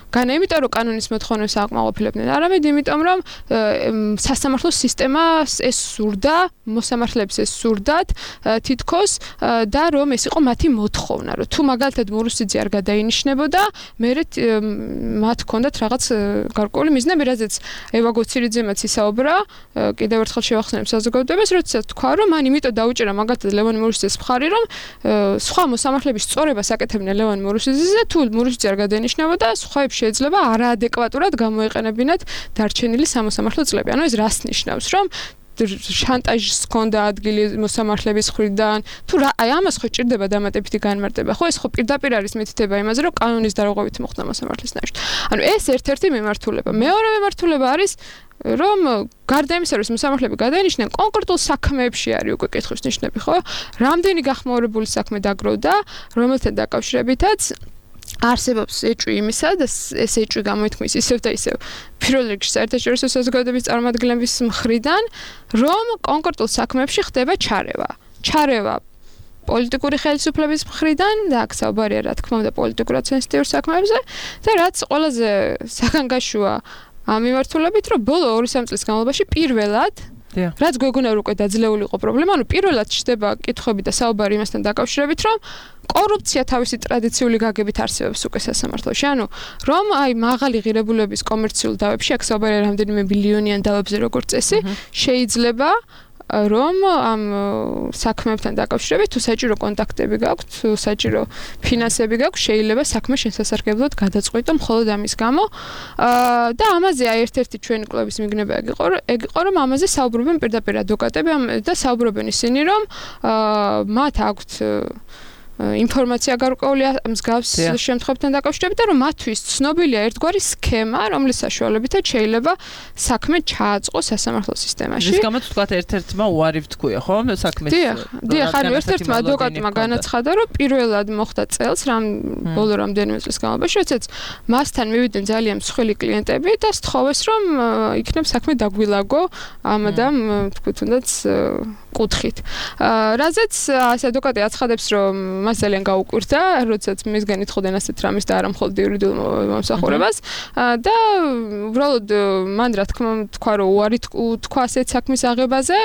განა იმიტომ რომ კანონის მოთხოვნებს აკმაყოფილებდნენ, არამედ იმიტომ რომ სასამართლო სისტემას ეს სურდა, მოსამართლეებს ეს სურდათ თითქოს და რომ ეს იყო მათი მოთხოვნა, რომ თუ მაგალითად მურუსიძე არ გადაინიშნებოდა, მერე მათ ჰქონდათ რაღაც გარკვეული მიზნები, რაზეც ევა გოცირიძემაც ისაუბრა, კიდევ ერთხელ შევახსენებ საზოგადოებას, როდესაც თქვა, რომ მან იმიტომ დაუჭერა მაგალითად ლევან მურუსიძეს მხარი, რომ სხვა მოსამართლეების სწორებას აკეთებდნენ ლევან მურუსიძეზე, თუ მურუსიძე არ გადაინიშნებოდა, სხვაებს შეიძლება არაადეკვატურად გამოეყენებინათ დარჩენილი სამოსამართლო წლები. ანუ ეს რას ნიშნავს, რომ შანტაჟს ჰქონდა ადგილი მოსამართლეების მხრიდან, თუ აი ამას ხო ჭირდება დამატებითი განმარტება, ხო ეს ხო პირდაპირ არის მითითება იმაზე, რომ კანონის დარღვევით მოხდა მოსამართლის ნაშთი. ანუ ეს ერთ-ერთი მიმართულება. მეორე მიმართულება არის რომ გარდა იმისა, რომ მოსამართლეები გადაინიშნენ, კონკრეტულ საქმეებში არის უკვე კითხვის ნიშნები, ხო? რამდენი გახმაურებული საქმე დაგროვდა, რომელთან დაკავშირებითაც არსებობს ეჭვი იმისა და ეს ეჭვი გამოითქმის ისევ და ისევ პირველ რიგში საერთაშორისო საზოგადოების წარმომადგენლების მხრიდან, რომ კონკრეტულ საქმეებში ხდება ჩარევა პოლიტიკური ხელისუფლების მხრიდან და აქ საუბარია რა თქმა უნდა პოლიტიკურად სენსიტიურ საქმეებზე და რაც ყველაზე საგანგაშოა ამ მიმართულებით, რომ ბოლო 2-3 წლის განმავლობაში პირველად რაც გვეგონა რომ უკვე დაძლეული იყო პრობლემა, ანუ პირველად ჩდება კითხვები და საუბარი იმასთან დაკავშირებით, რომ კორუფცია თავისი ტრადიციული გაგებით არსებობს უკვე სასამართლოში. ანუ რომ აი მაღალი ღირებულების კომერციულ დავებში, აქ საუბარია რამდენიმე ბილიონიან დავებზე როგორც წესი, შეიძლება რომ ამ საქმეებთან დაკავშირებით თუ საჭირო კონტაქტები გაქვთ, თუ საჭირო ფინანსები გაქვთ, შეიძლება საქმე შესასარგებლოდ გადაწყვიტო მხოლოდ ამის გამო. და ამაზე აი ერთ-ერთი ჩვენი კვლევის მიგნება ეგ იყო, რომ ამაზე საუბრობენ პირდაპირ ადვოკატები და საუბრობენ ისინი, რომ მათ აქვთ ინფორმაცია გარკვეული მსგავს შემთხვევებთან დაკავშირებით და რომ მათთვის ცნობილია ერთგვარი სქემა, რომლის საშუალებითაც შეიძლება საქმე ჩააწყოს სასამართლო სისტემაში. ის გამოც თქვა ერთ-ერთმა უარი ვთქვია, ხო, საქმეს. დიახ, ანუ ერთ-ერთმა ადვოკატმა განაცხადა, რომ პირველად მოხდა წელს ბოლო რამდენიმე წლის განმავლობაში, როდესაც მასთან მივიდნენ ძალიან მსხვილი კლიენტები და სთხოვეს, რომ იქნებ საქმე დაგვილაგო ამ თქვით თუნდაც კუთხით. რაზეც ეს ადვოკატი აცხადებს, რომ მას ძალიან გაუკვირდა, როდესაც მისგან ითხოვდნენ ასეთ რამის და არა მხოლოდ იურიდიულ მომსახურებას და უბრალოდ მან რა თქმა უნდა თქვა, რომ უარი თქვა ასეთ საქმის აღებაზე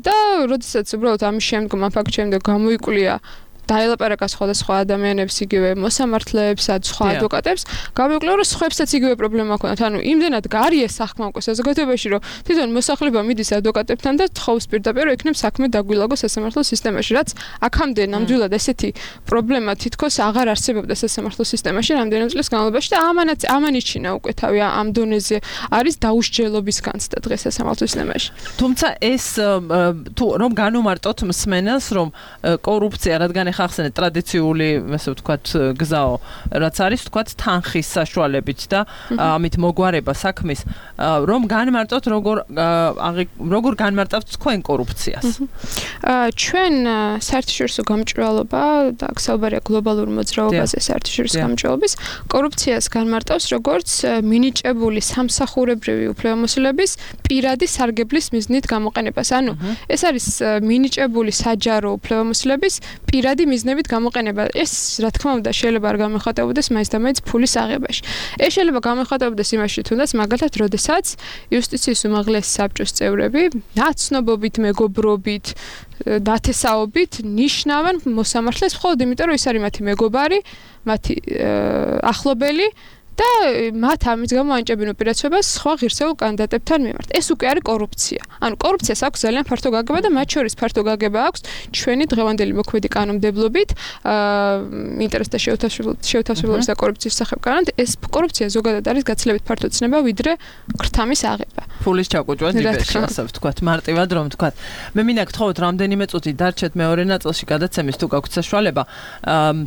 და როდესაც უბრალოდ ამის შემდგომ ამ ფაქტ შემდგომ გამოიკვლია დაელაპარაკა სხვადასხვა ადამიანებს, იგივე მოსამართლეებს, სხვა ადვოკატებს, გამოვიკვლიო, რომ სხვებსაც იგივე პრობლემა ჰქონდათ. ანუ იმდენად გარია საქმე უკვე საზოგადოებაში, რომ თვითონ მოსახლეობა მიდის ადვოკატებთან და თხოვს პირდაპირ, რომ იქნებ საქმე დაგვილაგოს სასამართლო სისტემაში, რაც აქამდე ნამდვილად ესეთი პრობლემა თითქოს აღარ არსებობდა სასამართლო სისტემაში რამდენიმე წლის განმავლობაში და ამანიშინა უკვე თავი ამ დონეზე არის დაუსჯელობის განცდა დღეს სასამართლო სისტემაში. თუმცა ეს თუ რომ განუმარტოთ მსმენელს, რომ კორუფცია რადგან ხახსენე ტრადიციული, ასე ვთქვათ, გზაო, რაც არის, ვთქვათ, თანხის საშუალებით და ამით მოგვარება საქმის, რომ განმარტოთ როგორ განმარტავთ თქვენ კორუფციას. ჩვენ საერთაშორისო გამჭვირვალობა და აქ საუბარია გლობალურ მოძრაობაზე საერთაშორისო გამჭვირვალობის კორუფციას განმარტავს როგორც მინიჭებული სამსახურებრივი უფლებამოსილების პირადი სარგებლის მიზნით გამოყენებას. ანუ ეს არის მინიჭებული საჯარო უფლებამოსილების პირადი მიზნებით გამოყენება. ეს რა თქმა უნდა შეიძლება არ გამოხატებოდეს მაინც და მაინც ფულის აღებაში. ეს შეიძლება გამოხატებოდეს იმაში, თუნდაც მაგალითად, როდესაც იუსტიციის უმაღლესი საბჭოს წევრები ნაცნობობით, მეგობრობით, დათესაობით ნიშნავენ მოსამართლეს მხოლოდ იმიტომ, რომ ის არის მათი მეგობარი, მათი ახლობელი და მათ ამის გამო ანიჭებენ უპირატესობას სხვა ღირსეულ კანდიდატებთან მიმართ. ეს უკვე არის კორუფცია. ანუ კორუფციას აქვს ძალიან ფართო გაგება და მათ შორის ფართო გაგება აქვს ჩვენი დღევანდელი მოქმედი კანონმდებლობით ინტერესთა შეუთავსებლობის და კორუფციის სახებ კანონით. ეს კორუფცია ზოგადად არის გაცილებით ფართო ცნება, ვიდრე ქრთამის აღება. ფულის ჩაკუჭვა ჯიბეში, ასე ვთქვათ, მარტივად რომ ვთქვათ. მე მინდა გთხოვოთ რამდენიმე წუთი დარჩეთ მეორე ნაწილში გადაცემის თუ გაქვთ საშუალება.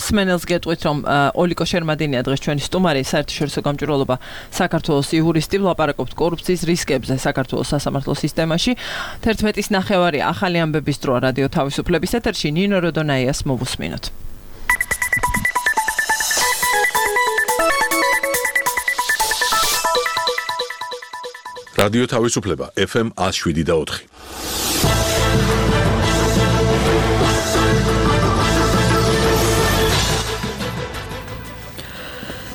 სმენელს გეტყვით რომ ოლიკო შერმადინია დღეს ჩვენი სტუმარი, საერთაშორისო გამჭვირვალობა საქართველოს იურისტი, ვლაპარაკობთ კორუფციის რისკებზე საქართველოს სასამართლო სისტემაში. 11:09 ახალი ამბების დროა რადიო თავისუფლების ეთერში ნინო როდონაიას მოვუსმინოთ. რადიო თავისუფლება FM 107.4.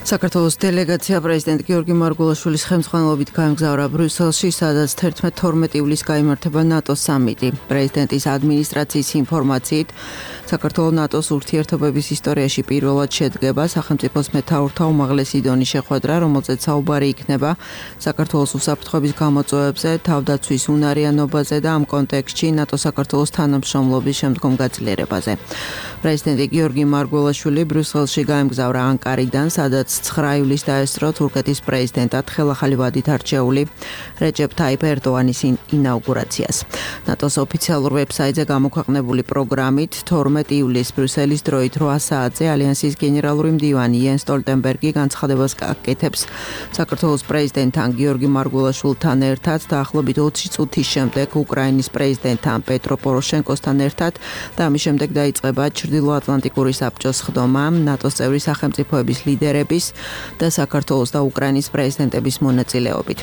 საქართველოს დელეგაცია პრეზიდენტ გიორგი მარგველაშვილის ხელმძღვანელობით გაემგზავრა ბრიუსელში, სადაც 11-12 ივლისს გაიმართება ნატოს სამიტი. პრეზიდენტის ადმინისტრაციის ინფორმაციით, საქართველოს ნატოს ურთიერთობების ისტორიაში პირველად შედგება სახელმწიფოს მეთაურთა უმაღლესი დონის შეხვედრა, რომელზეც საუბარი იქნება საქართველოს უსაფრთხოების გამოწვევებზე, თავდაცვის უნარიანობაზე და ამ კონტექსტში ნატო-საქართველოს თანამშრომლობის შემდგომ გაძლიერებაზე. პრეზიდენტი გიორგი მარგველაშვილი ბრიუსელში გაემგზავრა ანკარიდან, სადაც 9 ივლისს დაესწრო თურქეთის პრეზიდენტად ხელახალი ვადით არჩეული რეჯეპ ტაიპ ერდოანის ინაუგურაციას. ნატოს ოფიციალურ ვებსაიტზე გამოქვეყნებული პროგრამით 12 ივლისს ბრიუსელის დროით 8 საათზე ალიანსის გენერალური მდივანი იენს სტოლტენბერგი განცხადებას აკეთებს საქართველოს პრეზიდენტთან გიორგი მარგველაშვილთან ერთად დაახლოებით 20 წუთის შემდეგ უკრაინის პრეზიდენტთან პეტრო პოროშენკოსთან ერთად და ამის შემდეგ დაიწყება ჩრდილოატლანტიკური საბჭოს ხდომა ნატოს წევრი სახელმწიფოების ლიდერების და საქართველოს და უკრაინის პრეზიდენტების მონაწილეობით.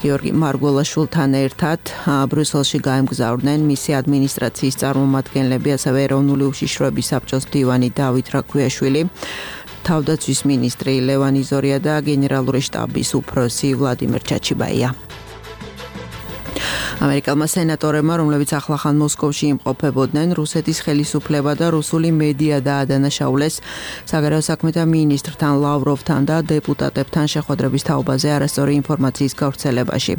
გიორგი მარგველაშვილთან ერთად ბრიუსელში გაემგზავრნენ მისი ადმინისტრაციის წარმომადგენლები, ასევე ეროვნული უშიშროების საბჭოს მდივანი დავით რაქვიაშვილი, თავდაცვის მინისტრი ლევან იზორია და გენერალური შტაბის უფროსი ვლადიმერ ჩაჩიბაია. ამერიკელმა სენატორებმა, რომლებიც ახლახან მოსკოვში იმყოფებოდნენ, რუსეთის ხელისუფლება და რუსული მედია დაადანაშაულეს საგარეო საქმეთა მინისტრთან ლავროვთან და დეპუტატებთან შეხვედრების თაობაზე არასწორი ინფორმაციის გავრცელებაში.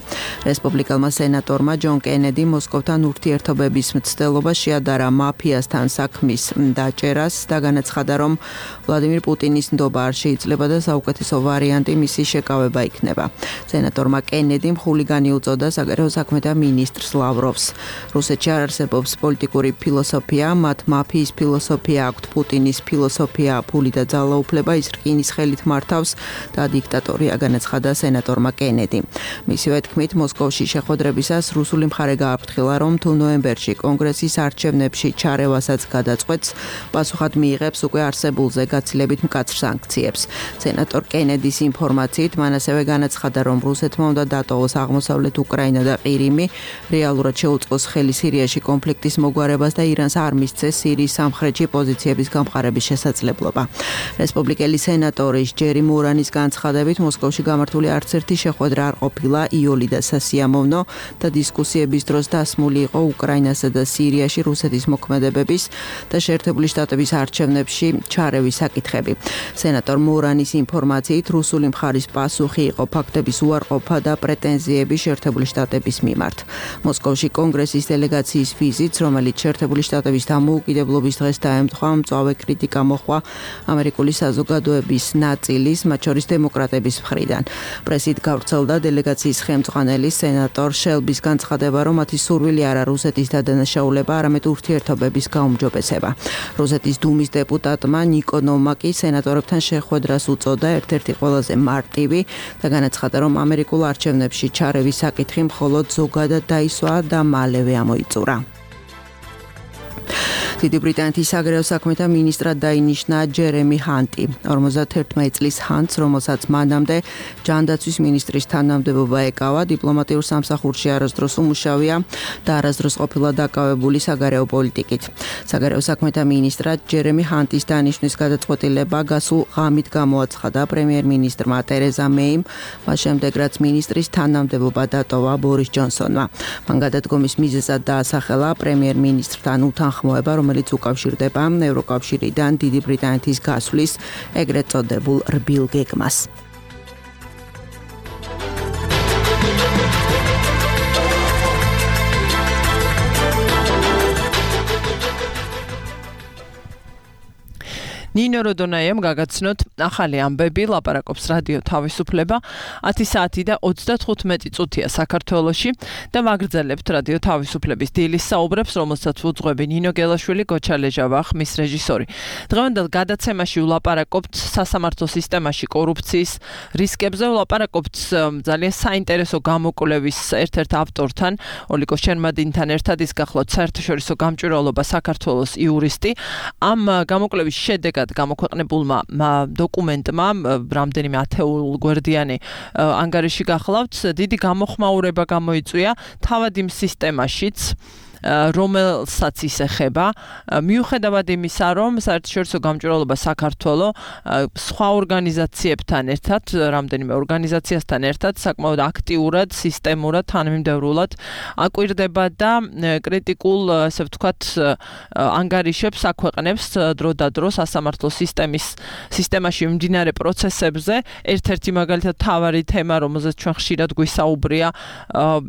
რესპუბლიკელმა სენატორმა ჯონ კენედი მოსკოვთან ურთიერთობების მცდელობას შეადარა მაფიასთან საქმის დაჭერას და განაცხადა, რომ ვლადიმირ პუტინის ნდობა არ შეიძლება და საუკეთესო ვარიანტი მისი შეკავება იქნება. სენატორმა კენედიმ ხულიგანი უწოდა საგარეო საქმეთა მინისტრს ლავროვს. რუსეთში არ არსებობს პოლიტიკური ფილოსოფია, მათ მაფიის ფილოსოფია აქვთ, პუტინის ფილოსოფია ფული და ძალაუფლება, ის რკინის ხელით მართავს და დიქტატორია, განაცხადა სენატორმა კენედი. მისივე თქმით, მოსკოვში შეხვედრებისას რუსული მხარე გააფრთხილა, რომ თუ ნოემბერში კონგრესის არჩევნებში ჩარევასაც გადაწყვეტს, პასუხად მიიღებს უკვე არსებულზე გაცილებით მკაცრ სანქციებს. სენატორ კენედის ინფორმაციით, მან ასევე განაცხადა, რომ რუსეთმა უნდა დატოვოს აღმოსავლეთ უკრაინა და ყირიმი, რეალურად შეუწყოს ხელი სირიაში კონფლიქტის მოგვარებას და ირანს არ მისცეს სირიის სამხრეთში პოზიციების გამყარების შესაძლებლობა. რესპუბლიკელი სენატორის ჯერი მურანის განცხადებით, მოსკოვში გამართული არც ერთი შეხვედრა არ ყოფილა იოლი და სასიამოვნო და დისკუსიების დროს დასმული იყო უკრაინასა და სირიაში რუსეთის მოქმედებების და შეერთებული შტატების არჩევნებში ჩარევის საკითხები. სენატორ მურანის ინფორმაციით, რუსული მხარის პასუხი იყო ფაქტების უარყოფა და პრეტენზიები შეერთებული შტატების მიმართ. მოსკოვში კონგრესის დელეგაციის ვიზიტს, რომელიც შეერთებული შტატების დამოუკიდებლობის დღეს დაემთხვა, მწვავე კრიტიკა მოჰყვა ამერიკული საზოგადოების ნაწილის, მათ შორის დემოკრატების მხრიდან. პრესით გავრცელდა დელეგაციის ხელმძღვანელი სენატორ შელბის განცხადება, რომ მათი სურვილი არა რუსეთის დადანაშაულება, არამედ ურთიერთობების გაუმჯობესება. რუსეთის დუმის დეპუტატმა ნიკო ნომაკი სენატორებთან შეხვედრას უწოდა ერთ-ერთი ყველაზე მარტივი და განაცხადა, რომ ამერიკულ არჩევნებში ჩარევის საკითხი მხოლოდ ზოგადად დაისვა და მალევე ამოიწურა. დიდი ბრიტანეთის საგარეო საქმეთა მინისტრად დაინიშნა ჯერემი ჰანტი. 51 წლის ჰანტს, რომელსაც მანამდე ჯანდაცვის მინისტრის თანამდებობა ეკავა, დიპლომატიურ სამსახურში არასდროს უმუშავია და არასდროს ყოფილა დაკავებული საგარეო პოლიტიკით. საგარეო საქმეთა მინისტრად ჯერემი ჰანტის დანიშვნის გადაწყვეტილება გასულ ღამით გამოაცხადა პრემიერ-მინისტრმა ტერეზა მეიმ, მას შემდეგ რაც მინისტრის თანამდებობა დატოვა ბორის ჯონსონმა. მან გადადგომის მიზეზად დაასახელა პრემიერ-მინისტრთან უთანხმოება, რომელიც უკავშირდება ევროკავშირიდან დიდი ბრიტანეთის გასვლის ეგრეთ წოდებულ რბილ გეგმას. ნინო როდონაიამ გაგაცნოთ ახალი ამბები, ლაპარაკობს რადიო თავისუფლება 10 საათი და 35 წუთია საქართველოში და ვაგრძელებთ რადიო თავისუფლების დილის საუბრებს, რომელსაც უძღვები ნინო გელაშვილი, გოჩა ლეჟავა, ხმის რეჟისორი. დღევანდელ გადაცემაში ვლაპარაკობთ სასამართლო სისტემაში კორუფციის რისკებზე, ვლაპარაკობთ ძალიან საინტერესო გამოკვლევის ერთ-ერთ ავტორთან, ოლიკო შერმადინთან ერთად, ის გახლავთ საერთაშორისო გამჭვირვალობა საქართველოს იურისტი. ამ გამოკვლევის შედეგად გამოქვეყნებულმა დოკუმენტმა რამდენიმე ათეულგვერდიანი ანგარიში გახლავთ, დიდი გამოხმაურება გამოიწვია თავად იმ სისტემაშიც, რომელსაც ის ეხება, მიუხედავად იმისა, რომ საერთაშორისო გამჭვირვალობა საქართველოს სხვა ორგანიზაციებთან ერთად, რამდენიმე ორგანიზაციასთან ერთად საკმაოდ აქტიურად, სისტემურად, თანმიმდევრულად აკვირდება და კრიტიკულ, ასე ვთქვათ, ანგარიშებს აქვეყნებს დროდადრო სასამართლო სისტემაში მიმდინარე პროცესებზე. ერთ-ერთი მაგალითად მთავარი თემა, რომელზეც ჩვენ ხშირად გვისაუბრია,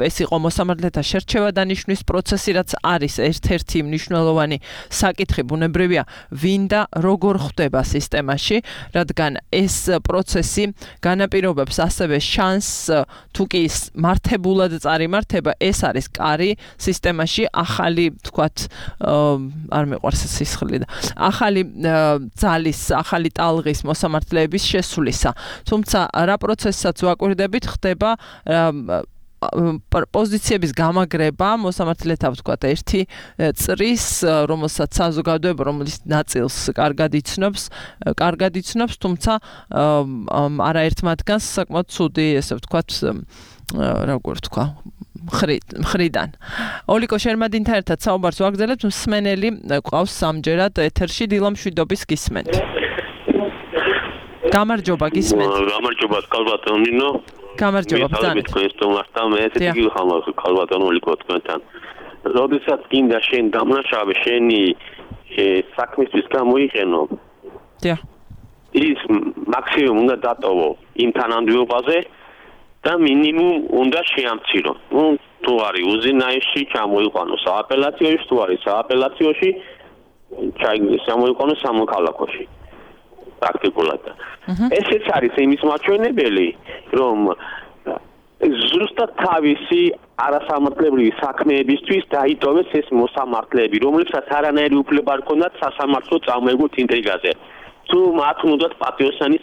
ეს იყო მოსამართლეთა შერჩევა დანიშვნის პროცესი, რაც არის ერთ-ერთი მნიშვნელოვანი საკითხი, ბუნებრივია, ვინ და როგორ ხდება სისტემაში, რადგან ეს პროცესი განაპირობებს ასევე შანსს, თუ კი მართებულად წარიმართება, ეს არის კარი სისტემაში ახალი, თქვათ, არ მიყვარს სისხლი და ახალი ძალის, ახალი ტალღის მოსამართლეების შესვლისა. თუმცა რა პროცესსაც ვაკვირდებით, ხდება პოზიციების გამაგრება მოსამართლეთა, ვთქვათ, ერთი წრის, რომელსაც საზოგადოება, რომლის ნაწილს კარგად იცნობს, თუმცა არაერთ მათგანს საკმაოდ ცუდი, ესე ვთქვათ, როგორ ვთქვა, მხრიდან. ოლიკო შერმადინთან ერთად საუბარს ვაგრძელებთ, მსმენელი ყავს სამჯერად ეთერში, დილა მშვიდობის გისმენთ. გამარჯობა, გისმენთ. გამარჯობა, კალბატონ ნინო. გამარჯობა, ბრძანეთ. მე ესეთი გიხამავს კალბატონ ოლიკო თქვენთან. როდესაც გინდა შენ დამნაშავე შენი საქმისთვის გამოიყენო. დიახ. ის მაქსიმუმ უნდა დატოვო იმ თანამდებობაზე და მინიმუმ უნდა შეამცირო. თუ არის უზენაესში ჩამოიყვანო სააპელაციოში, თუ არის სააპელაციაში ჩამოიყვანო სამოქალაქოში. პრაქტიკულად. ესეც არის იმის მაჩვენებელი, რომ ზუსტად თავისი არასამართლებრივი საქმეებისთვის დაიტოვეს ეს მოსამართლეები, რომლებსაც არანაირი უფლება არ ჰქონდათ სასამართლო წამოეგვოთ ინტრიგაზე. თუ მათ უნდათ პატიოსანი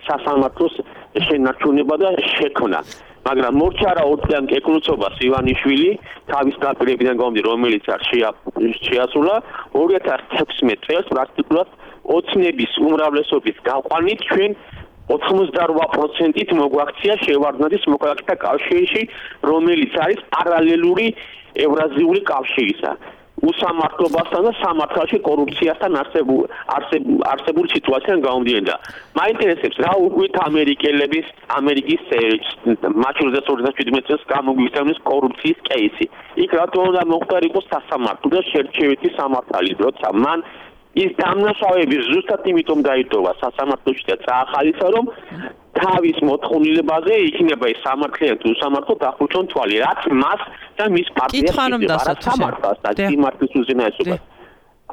სასამართლოს შენარჩუნება და შექმნა. მაგრამ მორჩარა ორწლიან კეკლუცობას ივანიშვილი თავის დაპირებიდან გამომდინარე, რომელიც არ შეასრულა 2016 წელს პრაქტიკულად ოცნების უმრავლესობის გაყვანით ჩვენ 88%-ით მოგვაქცია შევარდნაძის მოქალაქეთა კავშირში, რომელიც არის პარალელური ევრაზიული კავშირისა. უსამართლობასთან და სამართალში კორუფციასთან არსებული სიტუაციიდან გამომდინარე. მაინტერესებს რა უგვით ამერიკის მაჩურზეს 2017 წელს გამოგვიხსენეს კორუფციის კეისი. იქ რატო უნდა მოხდარიყო სასამართლო და შერჩევითი სამართალი, როცა მან ის დამნაშავეები ზუსტად იმიტომ დაიტოვა სასამართლოში და წაახალისა, რომ თავის მოთხოვნილებაზე იქნება ის სამართლიანი თუ სამართლო დახურჩონ თვალი, რაც მას და მის პარტიას სამართალს და სიმართლის უზენაესობას.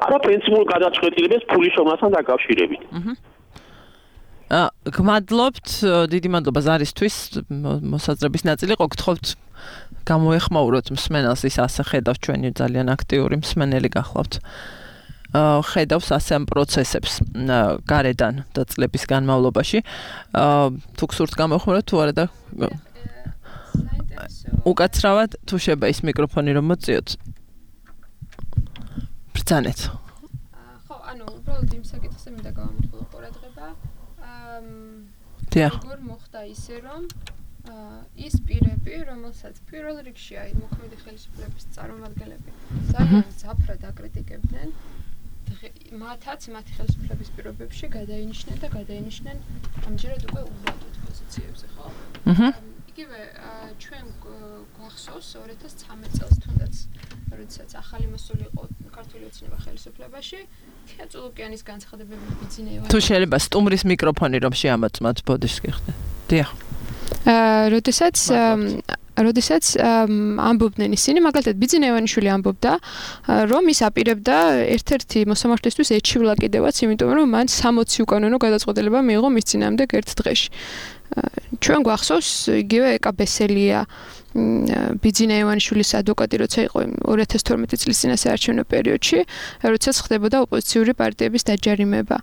არა პრინციპულ გადაწყვეტილებას ფულის შრომასთან დაკავშირებით. გმადლობთ, დიდი მადლობა ზარისთვის, მოსაზრების ნაწილი ყო, გთხოვთ გამოეხმაუროთ მსმენელს, ის ასე ხედავს, ჩვენი ძალიან აქტიური მსმენელი გახლავთ. ხედავს ასე ამ პროცესებს გარედან და წლების განმავლობაში. თუ გსურთ გამოეხმაუროთ, თუ არა და უკაცრავად თუ შეიძლება ის მიკროფონი რომ მოწიოთ. ბრძანეთ. უბრალოდ იმ საკითხზე მინდა გავამახვილო ყურადღება. როგორ მოხდა ისე, რომ ის პირები, რომელსაც პირველ რიგში აი მოქმედი ხელისუფლების წარმომადგენლები ძალიან მძაფრად აკრიტიკებდნენ, მათაც მათი ხელისუფლების პირობებში გადაინიშნენ ამჯერად უკვე უვადოდ პოზიციებზე, ხო? იგივე ჩვენ გვახსოვს 2013 წელს თუნდაც როდესაც ახალი მოსული იყო ქართული ოცნება ხელისუფლებაში, თეატრულოკიანის განცხადებები ბიძინევა. თუ შეიძლება სტუმრის მიკროფონი რომ შეამოწმოთ ბოდიშს გიხდე. დიახ. როდესაც ამბობდნენ ისინი, მაგალითად ბიძინევანიშვილი ამბობდა, რომ ის აპირებდა ერთ-ერთი მოსამართლისთვის ეჩივლა კიდევაც, იმიტომ რომ მან 60 უკანონო გადაწყვეტილება მიიღო მის წინააღმდეგ ერთ დღეში. ჩვენ გვახსოვს იგივე ეკა ბესელია ბიძინევანიშვილის ადვოკატი, როცა იყო 2012 წლის წინა საარჩევნო პერიოდში, როდესაც ხდებოდა ოპოზიციური პარტიების დაჯარიმება.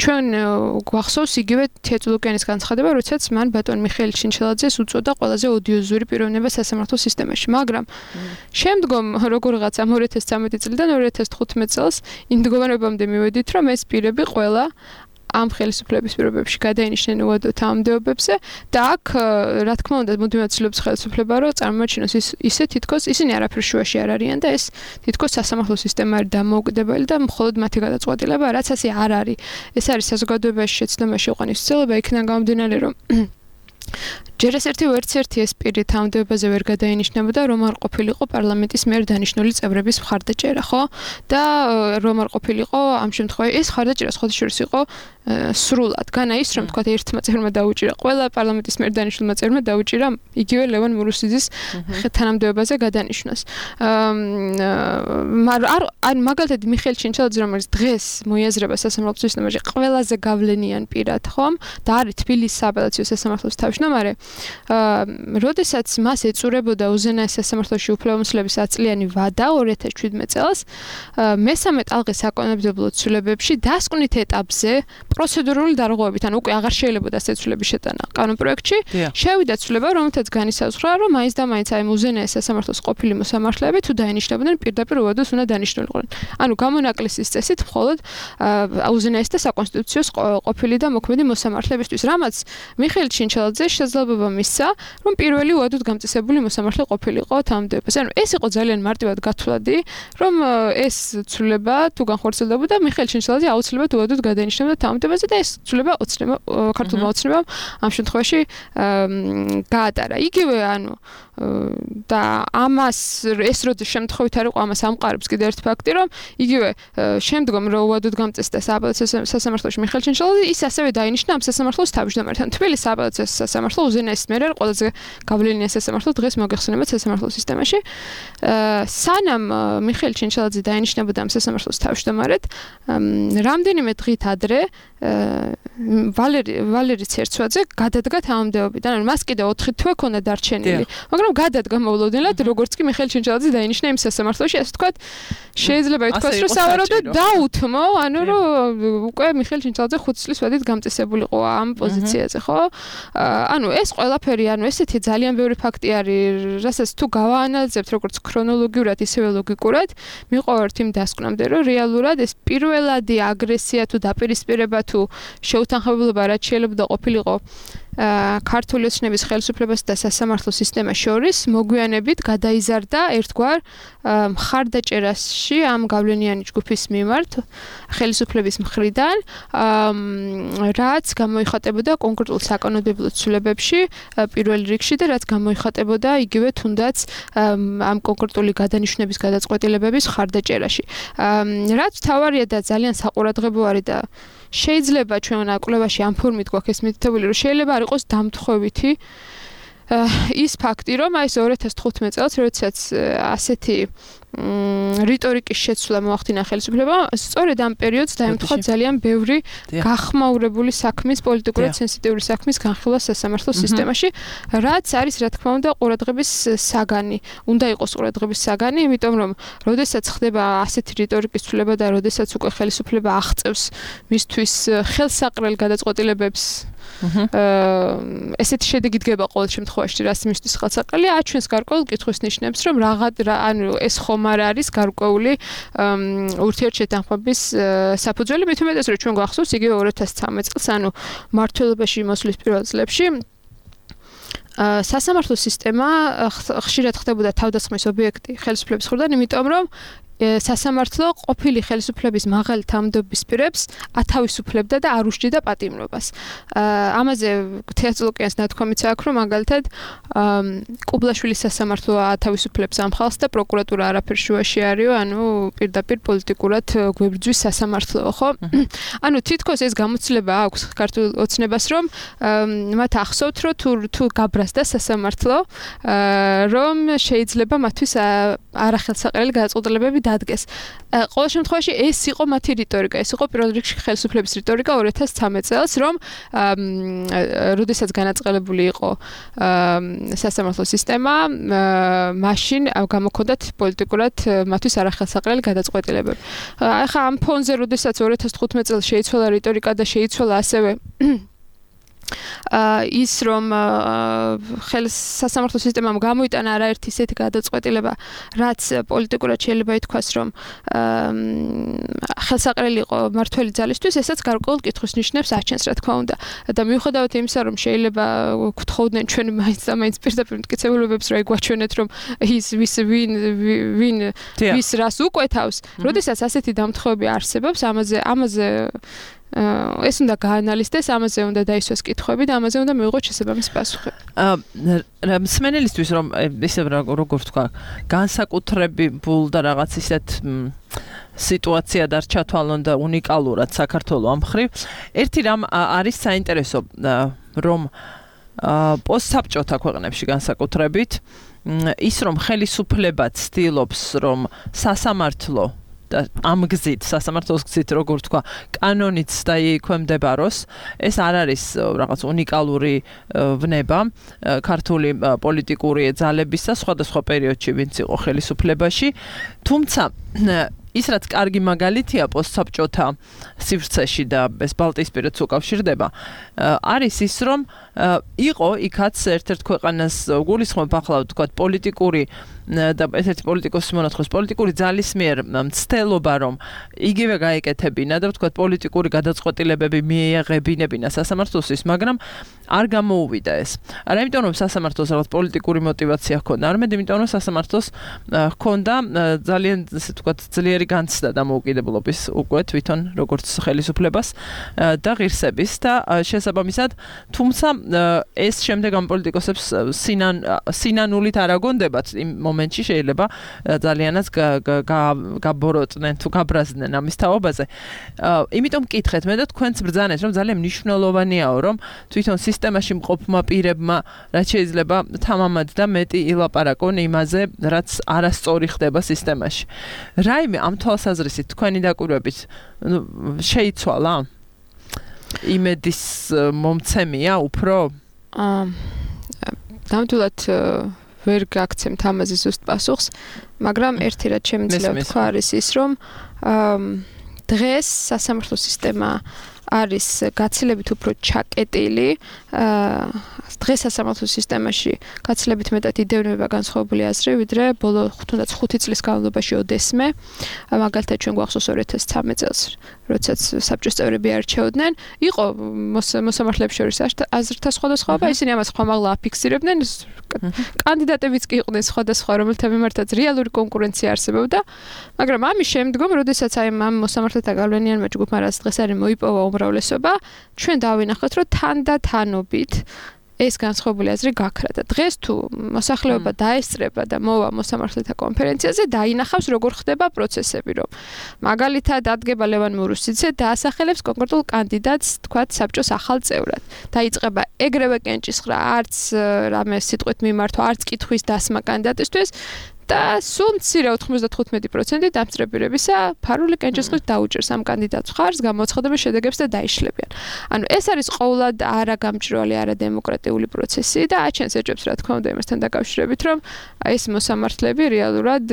ჩვენ გვახსოვს იგივე თეატრულოკიანის განცხადება, როდესაც მან ბატონ მიხეილ ჩინჩელაძეს უწოდა ყველაზე ოდიოზური პიროვნება სასამართლო სისტემაში, მაგრამ შემდგომ როგორღაც ამ 2013 წლიდან 2015 წელს იმ მდგომარეობამდე მივედით, რომ ეს პირები ყველა ამ ხელისუფლების პირობებში გადაინიშნენ უადოთ ამდეობებზე და აქ რა თქმა უნდა მუდმივად ცდილობს ხელისუფლება რომ წარმოაჩინოს ისე თითქოს ისინი არაფერ შუაში არ არიან და ეს თითქოს სასამართლო სისტემა არის დამოუკიდებელი და მხოლოდ მათი გადაწყვეტილება რაც ასე არ არის. ეს არის საზოგადოებაში შეცდომაში იყვანის ცდილება იქიდან გამომდინარე რომ ჯერ ვერც ერთი ეს პირი თანამდებობაზე ვერ გადაინიშნებოდა, რომ არ ყოფილიყო პარლამენტის მიერ დანიშნული წევრების მხარდაჭერა, ხო? და რომ არ ყოფილიყო ამ შემთხვევაში ეს მხარდაჭერა სხვადასხვა იყო სრულად. განა ის რომ თქვა ერთმა წევრმა დაუჭირა, ყველა პარლამენტის მიერ დანიშნულმა წევრმა დაუჭირა იგივე ლევან მურუსიძის თანამდებობაზე გადანიშნვას. მაგრამ მაგალითად მიხეილ ჩინჩელაძე რომელიც დღეს მოიაზრება სასამართლო სისტემაში ყველაზე გავლენიან პირად, ხომ? და არის თბილისის სააპელაციო სასამართლოს თავმჯდომარე. როდესაც მას ეწურებოდა უზენაეს სასამართლოში უფლებამოსილების 100 წლიანი ვადა 2017 წელს, მესამე ტალღის საკანონმდებლო ცვლილებებში დასკვნით ეტაპზე პროცედურული დარღვევებით, ანუ უკვე აღარ შეიძლებოდა ასეცვლების შეტანა კანონპროექტში, შევიდა ცვლილება, რომელთაც განისაზღვრა, რომ მაინც და მაინც აი უზენაეს სასამართლოს ყოფილი მოსამართლეები თუ დაინიშნებოდნენ პირდაპირ უადოს უნდა დანიშნულიყვნენ. ანუ გამონაკლისის წესით მხოლოდ უზენაეს და საკონსტიტუციო ყოფილი და მოქმედი მოსამართლებისთვის, რამაც მიხეილ ჩინჩელაძე შესაძლებლობა მისცა, რომ პირველი უადოდ გამწესებული მოსამართლე ყოფილიყო თანამდებობაზე. ანუ ეს იყო ძალიან მარტივად გათვლადი, რომ ეს ცვლილება თუ განხორციელდებოდა, მიხეილ ჩინჩელაძე აუცილებლად უადოდ გადაინიშნებოდა თანამდებობაზე და ეს ცვლილება ქართულმა ოცნებამ ამ შემთხვევაში გაატარა. იგივე ანუ და ამას ეს როდის შემთხვევით არ იყო ამას ამყარებს კიდე ერთ ფაქტი, რომ იგივე შემდგომ რო უადოდ გამწესდა სააპელაციო სასამართლოში მიხეილ ჩინჩელაძე, ის ასევე დაინიშნა ამ სასამართლოს თავმჯდომართან. თბილისის სააპელაციო სასამართლო უზენაეს მიერ არის ყველაზე გავლენიანი სასამართლო დღეს მოგეხსენებათ სასამართლო სისტემაში. სანამ მიხეილ ჩინჩელაძე დაინიშნებოდა ამ სასამართლოს თავმჯდომარედ, რამდენიმე დღით ადრე ვალერი ცერცვაძე გადადგა თანამდებობიდან. ანუ მას კიდე 4 თვე ჰქონდა დარჩენილი, მაგრამ გადადგა მოულოდნელად, როგორც კი მიხეილ ჩინჩელაძე დაინიშნა იმ სასამართლოში, ასე ვთქვათ, შეიძლება ითქვას, რომ სავარაუდოდ დაუთმო, ანუ რომ უკვე მიხეილ ჩინჩელაძე 5 წლის ვადით გამწესებულიყო ამ პოზიციაზე, ხო? ანუ ეს ყველაფერი, ანუ ესეთი ძალიან ბევრი ფაქტი არის, რასაც თუ გავაანალიზებთ როგორც ქრონოლოგიურად, ისევე ლოგიკურად, მივყავართ იმ დასკვნამდე, რომ რეალურად ეს პირველადი აგრესია თუ დაპირისპირება თუ შეუთანხმებლობა რაც შეიძლება ყოფილიყო ქართული ოცნების ხელისუფლებას და სასამართლო სისტემას შორის მოგვიანებით გადაიზარდა ერთგვარ მხარდაჭერაში ამ გავლენიანი ჯგუფის მიმართ ხელისუფლების მხრიდან, რაც გამოიხატებოდა კონკრეტულ საკანონმდებლო ცვლილებებში პირველ რიგში და რაც გამოიხატებოდა იგივე თუნდაც ამ კონკრეტული გადანიშნების გადაწყვეტილებების მხარდაჭერაში. რაც თავარია და ძალიან საყურადღებო არის და შეიძლება ჩვენ კვლევაში ამ ფორმით გვაქვს ეს მითითებული, რომ შეიძლება არ იყოს დამთხოვითი ის ფაქტი, რომ აი 2015 წელს, როდესაც ასეთი რიტორიკის შეცვლა მოახდინა ხელისუფლებამ, სწორედ ამ პერიოდს დაემთხვა ძალიან ბევრი გახმაურებული საქმის, პოლიტიკურად სენსიტიური საქმის განხილვა სასამართლო სისტემაში, რაც არის რა თქმა უნდა ყურადღების საგანი. უნდა იყოს ყურადღების საგანი, იმიტომ რომ როდესაც ხდება ასეთი რიტორიკის ცვლილება და როდესაც უკვე ხელისუფლება აღწევს მისთვის ხელსაყრელ გადაწყვეტილებებს ესეთი შედეგი დგება ყოველ შემთხვევაში, რაც მისთვის ხელსაყრელი აჩვენს გარკვეულ კითხვის ნიშნებს, რომ ანუ ეს ხომ არ არის გარკვეული ურთიერთშეთანხმების საფუძველი, მით უმეტეს რომ ჩვენ გვახსოვს იგივე 2013 წელს, ანუ მმართველობაში მოსვლის პირველ წლებში სასამართლო სისტემა ხშირად ხდებოდა თავდასხმის ობიექტი ხელისუფლების მხრიდან, იმიტომ რომ სასამართლო ყოფილი ხელისუფლების მაღალი თანამდებობის პირებს ათავისუფლებდა და არ უშჯიდა პატიმრობას. ამაზე თეატრულოკიანს ნათქვამიც აქვს, რომ მაგალითად კუბლაშვილის სასამართლო ათავისუფლებს ამ ხალხს და პროკურატურა არაფერ შუაში არისო, ანუ პირდაპირ პოლიტიკურად გვებრძვის სასამართლოო, ხო? ანუ თითქოს ეს გამოცდილება აქვს ქართულ ოცნებას, რომ მათ ახსოვთ, რომ თუ გაბრაზდა სასამართლო, რომ შეიძლება მათთვის არახელსაყრელი გადაწყვეტილებები დადგეს. ყოველ შემთხვევაში ეს იყო მათი რიტორიკა, ეს იყო პირველ რიგში ხელისუფლების რიტორიკა 2013 წელს, რომ როდესაც განაწყელებული იყო სასამართლო სისტემა, მაშინ გამოქონდათ პოლიტიკურად მათთვის არახელსაყრელი გადაწყვეტილებები. ახლა ამ ფონზე, როდესაც 2015 წელს შეიცვალა რიტორიკა და შეიცვალა ასევე ის რომ სასამართლო სისტემამ გამოიტანა არაერთი ისეთი გადაწყვეტილება, რაც პოლიტიკურად შეიძლება ითქვას, რომ ხელსაყრელი იყო მართველი ძალისთვის, ესაც გარკვეულ კითხვის ნიშნებს აჩენს, რა თქმა უნდა. და მიუხედავად იმისა, რომ შეიძლება გთხოვდნენ ჩვენ მაინც და მაინც პირდაპირ მტკიცებულებებს, რომ ეგვაჩვენეთ, რომ ის ვის რას უკვეთავს, როდესაც ასეთი დამთხევები არსებობს, ამაზე ეს უნდა გაანალიზდეს, ამაზე უნდა დაისვას კითხვები და ამაზე უნდა მიიღოს შესაბამისი პასუხები. მსმენელისთვის რომ ისე როგორ ვთქვა, განსაკუთრებულ და რაღაც ისეთ სიტუაცია დარჩა თვალონ და უნიკალურად საქართველოს ამ მხრივ, ერთი რამ არის საინტერესო, რომ პოსტსაბჭოთა ქვეყნებში განსაკუთრებით ის რომ ხელისუფლება ცდილობს, რომ სასამართლო და ამ გზით, სასამართლოს გზით, როგორ თქვა, კანონიც დაიქვემდებაროს, ეს არ არის რაღაც უნიკალური ვნება ქართული პოლიტიკური ძალების და სხვადასხვა პერიოდში, ვინც იყო ხელისუფლებაში, თუმცა ის რაც კარგი მაგალითია პოსტსაბჭოთა სივრცეში და ეს ბალტიისპირეთს უკავშირდება, არის ის რომ იყო იქაც ერთ-ერთ ქვეყანას გულისხმობ ახლა თქვა პოლიტიკური და ერთ-ერთი პოლიტიკოსის მონათხოვს პოლიტიკური ძალის მიერ მცდელობა რომ იგივე გაეკეთებინა და თქვა პოლიტიკური გადაწყვეტილებები მიეღებინებინა სასამართლოსთვის, მაგრამ არ გამოუვიდა ეს. არა იმიტომ რომ სასამართლოს რაღაც პოლიტიკური мотиваცია ჰქონდა, არამედ იმიტომ რომ სასამართლოს ჰქონდა ძალიან ესე თქვა ძლიერი განცდა დამოუკიდებლობის უკვე თვითონ როგორც ხელისუფლებას და ღირსების და შესაბამისად, თუმცა ეს შემდეგ ამ პოლიტიკოსებს სინანულით არ აგონდებათ იმ მომენტში შეიძლება ძალიანაც გაბოროტდნენ თუ გაბრაზდნენ ამის თაობაზე. იმიტომ მკითხეთ მე და თქვენც ბრძანეთ რომ ძალიან მნიშვნელოვანიაო რომ თვითონ სისტემაში მყოფმა პირებმა რაც შეიძლება თამამად და მეტი ილაპარაკონ იმაზე რაც არასწორი ხდება სისტემაში. რაიმე ამ თვალსაზრისით თქვენი დაკვირვებით შეიცვალა? იმედის მომცემია უფრო? ნამდვილად ვერ გაგცემთ ამაზე ზუსტ პასუხს, მაგრამ ერთი რაც შემიძლია ვთქვა არის ის, რომ დღეს სასამართლო სისტემა არის გაცილებით უფრო ჩაკეტილი. დღეს სასამართლო სისტემაში გაცილებით მეტად იდევნებება განსხვავებული აზრი, ვიდრე ბოლო თუნდაც 5 წლის განმავლობაში ოდესმე. მაგალითად ჩვენ გვახსოვს 2013 წელს, როდესაც საბჭოს წევრები არჩეოდნენ, იყო მოსამართლეებს შორის აზრთა სხვადასხვაობა, ისინი ამას ხმამაღლა აფიქსირებდნენ. კანდიდატებიც კი იყვნენ სხვადასხვა, რომელთა მიმართაც რეალური კონკურენცია არსებობდა, მაგრამ ამის შემდგომ, როდესაც ამ მოსამართლეთა გავლენიანმა ჯგუფმა რაც დღეს არის მოიპოვა უმრავლესობა, ჩვენ დავინახეთ, რომ თანდათანობით ეს განსხვავებული აზრი გაქრა და დღეს თუ მოსახლეობა დაესწრება და მოვა მოსამართლეთა კონფერენციაზე, დაინახავს როგორ ხდება პროცესები, რომ მაგალითად ადგება ლევან მურუსიძე და ასახელებს კონკრეტულ კანდიდატს, თქვათ, საბჭოს ახალ წევრად. დაიწყება ეგრევე კენჭისყრა, არც რამე სიტყვით მიმართვა, არც კითხვის დასმა კანდიდატისთვის და სულ მცირე 95% დამწრებირებისა ფარული კენჭისყრით დაუჭერს ამ კანდიდატს მხარს, გამოაცხადებს შედეგებს და დაიშლებიან. ანუ ეს არის ყოველად არაგამჭრელი, არადემოკრატიული პროცესი და აჩენს ეჭვებს, რა თქმა უნდა, იმასთან დაკავშირებით, რომ ეს მოსამართლეები რეალურად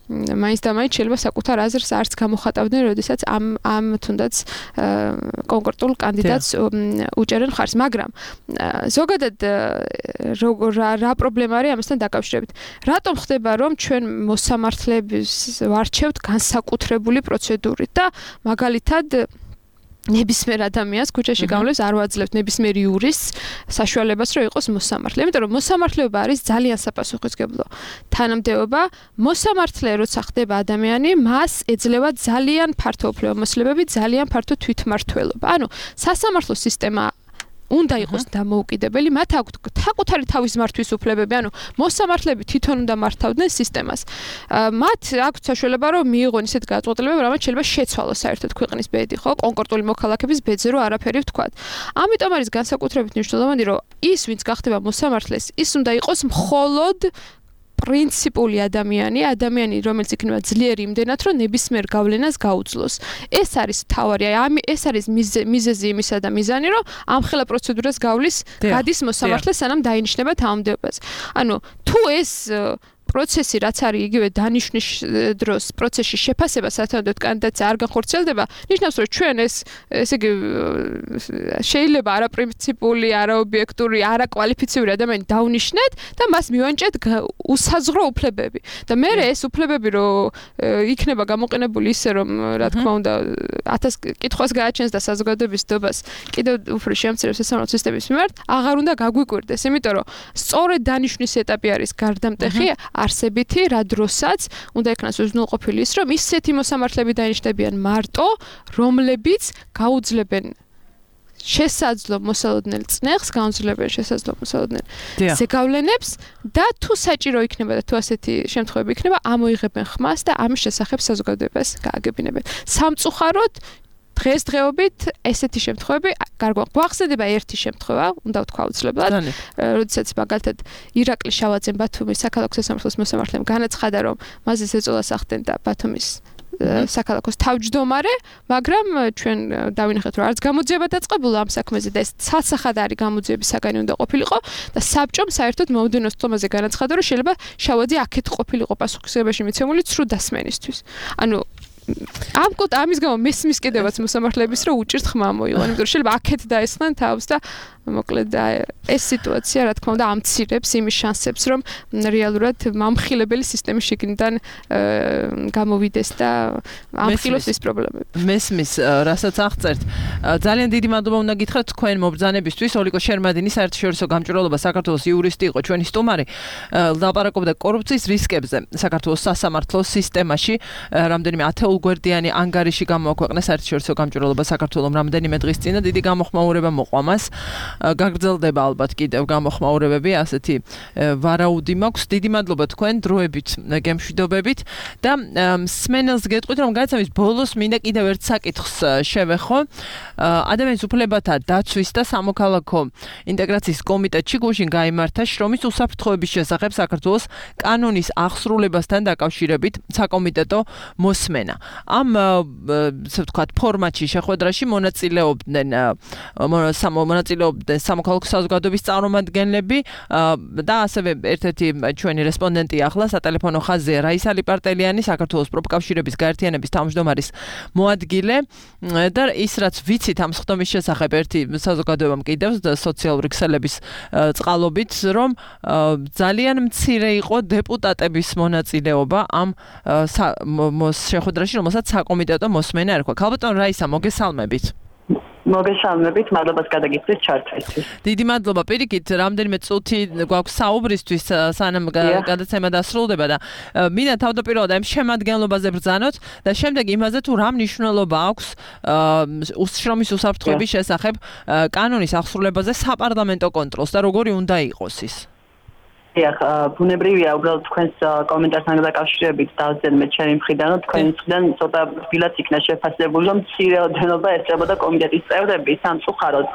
მაინც და მაინც შეიძლება საკუთარ აზრს არც გამოხატავდნენ, როდესაც ამ თუნდაც კონკრეტულ კანდიდატს უჭერენ ხარს, მაგრამ ზოგადად რა პრობლემა არის ამასთან დაკავშირებით? რატომ ხდება, რომ ჩვენ მოსამართლეებს ვარჩევთ განსაკუთრებული პროცედურით და მაგალითად ნებისმიერ ადამიანს ქუჩაში გამლებს არ ვაძლევთ ნებისმიერ იურისტს საშუალებას რომ იყოს მოსამართლე. იმიტომ რომ მოსამართლეობა არის ძალიან საპასუხისმგებლო თანამდებობა. მოსამართლე როცა ხდება ადამიანი, მას ეძლევა ძალიან ფართო უფლებამოსილებები, ძალიან ფართო თვითმმართველობა. ანუ სასამართლო სისტემა უნდა იყოს დამოუკიდებელი, მათ აქვთ საკუთარი თავის მართვის უფლებები, ანუ მოსამართლეები თვითონ უნდა მართავდნენ სისტემას. მათ აქვთ საშუალება, რომ მიიღონ ისეთ გადაწყვეტილებები, რამაც შეიძლება შეცვალოს საერთოდ ქვეყნის ბედი, ხო, კონკრეტული მოქალაქების ბედზე რო არაფერი ვთქვათ. ამიტომ არის განსაკუთრებით მნიშვნელოვანი, რომ ის, ვინც გახდება მოსამართლეს, ის უნდა იყოს მხოლოდ პრინციპული ადამიანი, რომელიც იქნება ძლიერი იმდენად, რომ ნებისმიერ გავლენას გაუძლოს. ეს არის თავარი, ეს არის მიზეზი იმისა და მიზანი, რომ ამხელა პროცედურას გავლის, გადის მოსამართლე, სანამ დაინიშნება თანამდებობას. ანუ თუ ეს პროცესი რაც არის იგივე დანიშვნის დროს პროცესში შეფასება სათანადოდ კანდიდატს არ განხორციელდება, ნიშნავს რომ ჩვენ ესე იგი შეიძლება არაპრინციპული, არაობიექტური, არაკვალიფიციური ადამიანი დავნიშნეთ და მას მივანჭეთ უსაზღვრო უფლებები. და მე ეს უფლებები რომ იქნება გამოყენებული ისე რომ რა თქმა უნდა 1000 კითხვას გააჩენს და საზოგადოების დობას კიდევ უფრო შეამცირებს სასამართლო სისტემის მიმართ, აღარ უნდა გაგვიკვირდეს, იმიტომ რომ სწორედ დანიშვნის ეტაპი არის გარდამტეხი არსებითი, რა დროსაც უნდა იქნას უზრუნველყოფილი ის, რომ ისეთი მოსამართლეები დაინიშნებიან მარტო, რომლებიც გაუძლებენ შესაძლო მოსალოდნელ წნეხს, გაუძლებენ შესაძლო მოსალოდნელ ზეგავლენებს და თუ საჭირო იქნება და თუ ასეთი შემთხვევები იქნება, ამოიღებენ ხმას და ამის შესახებ საზოგადოებას გააგებინებენ. სამწუხაროდ დღესდღეობით ესეთი შემთხვევები გვახსენდება ერთი შემთხვევა, უნდა ვთქვა აუცილებლად, როდესაც მაგალითად ირაკლი შავაძემ ბათუმის საქალაქო სასამართლოს მოსამართლემ განაცხადა, რომ მასზე ზეწოლას ახდენდა ბათუმის საქალაქოს თავმჯდომარე, მაგრამ ჩვენ დავინახეთ, რომ არც გამოძიება დაწყებულა ამ საქმეზე და ეს ცალსახად არის გამოძიების საგანი უნდა ყოფილიყო და საბჭომ საერთოდ მომდევნო სტომაზე განაცხადა, რომ შეიძლება შავაძე აქეთ ყოფილიყო პასუხისმგებაში მიცემული ცრუ დასმენისთვის. ანუ ამის გამო მესმის კიდევაც მოსამართლეების რომ უჭირთ ხმა მოიღონ, იმიტომ რომ შეიძლება აქეთ დაესხნენ თავს და მოკლედ ეს სიტუაცია რა თქმა უნდა ამცირებს იმის შანსებს, რომ რეალურად მომხილებელი სისტემის შიგნიდან გამოვიდეს და ამხილოს ეს პრობლემები. მესმის, რასაც აღწერთ. ძალიან დიდი მადლობა უნდა გითხრათ თქვენ მობრძანებისთვის. ოლიკო შერმადინი საერთაშორისო გამჭვირვალობა საქართველოს იურისტი იყო ჩვენი სტუმარი. ლაპარაკობდა კორუფციის რისკებზე საქართველოს სასამართლო სისტემაში. რამდენიმე ათეულგვერდიანი ანგარიში გამოაქვეყნა საერთაშორისო გამჭვირვალობა საქართველოს რამდენიმე დღის წინ და დიდი გამოხმაურება მოყვა მას. გაგრძელდება ალბათ კიდევ გამოხმაურებები, ასეთი ვარაუდი მაქვს. დიდი მადლობა თქვენ დროებით, გემშვიდობებით და სმენელს გეტყვით, რომ გადაცემის ბოლოს მინდა კიდევ ერთ საკითხს შევეხო. ადამიანის უფლებათა დაცვის და სამოქალაქო ინტეგრაციის კომიტეტში გუშინ გაიმართა შრომის უსაფრთხოების შესახებ საქართველოს კანონის ახსრულებასთან დაკავშირებით საკომიტეტო მოსმენა. ამ ასე ვთქვათ ფორმატში შეხვედრაში მონაწილეობდნენ სამოქალაქო საზოგადოების წარმომადგენლები და ასევე ერთ-ერთი ჩვენი რესპონდენტი ახლა სატელეფონო ხაზია რაისა ლიპარტელიანი, საქართველოს პროფკავშირების გაერთიანების თავმჯდომარის მოადგილე და ის რაც ვიცით ამ სხდომის შესახებ ერთი საზოგადოებამ კიდევ სოციალური ქსელების წყალობით, რომ ძალიან მცირე იყო დეპუტატების მონაწილეობა ამ შეხვედრაში, რომელსაც საკომიტეტო მოსმენა ერქვა. ქალბატონ რაისა, მოგესალმებით. მოგესალმებით, მადლობას გადაგიხდით ჩართვისთვის. დიდი მადლობა. პირიქით, რამდენიმე წუთი გვაქვს საუბრისთვის, სანამ გადაცემა დასრულდება და მინდა თავდაპირველად ამ შემადგენლობაზე ბრძანოთ და შემდეგ იმაზე თუ რა მნიშვნელობა აქვს შრომის უსაფრთხოების შესახებ კანონის ახსრულებაზე საპარლამენტო კონტროლს და როგორი უნდა იყოს ის. ბუნებრივია უბრალოდ თქვენს კომენტართან დაკავშირებით დავძენმე ჩემი მხრიდან, რომ თქვენთან ცოტა თბილად იქნა შეფასებული, რომ მცირე ოდენობა ესწრებოდა კომიტეტის წევრები. სამწუხაროდ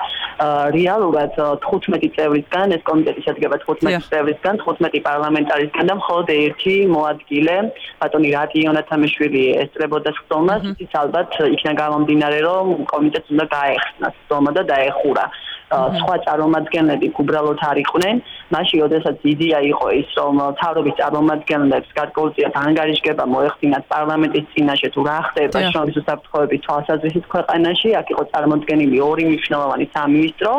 რეალურად 15 წევრისგან, ეს კომიტეტი შედგება 15 წევრისგან, 15 პარლამენტარისგან და მხოლოდ ერთი მოადგილე, ბატონი რატი იონათამიშვილი ესწრებოდა სხდომას, ის ალბათ იქნა გამომდინარე, რომ კომიტეტს უნდა გაეხსნა სხდომა და დაეხურა. სხვა წარმომადგენლები უბრალოდ არ იყვნენ. მაშინ როდესაც იდეა იყო ის, რომ თავრობის წარმომადგენლებს გარკვეულწილად ანგარიშგება მოეხდინათ პარლამენტის წინაშე თუ რა ხდება შრომის უსაფრთხოების თვალსაზრისით ქვეყანაში, აქ იყო წარმოდგენილი ორი მნიშვნელოვანი სამინისტრო,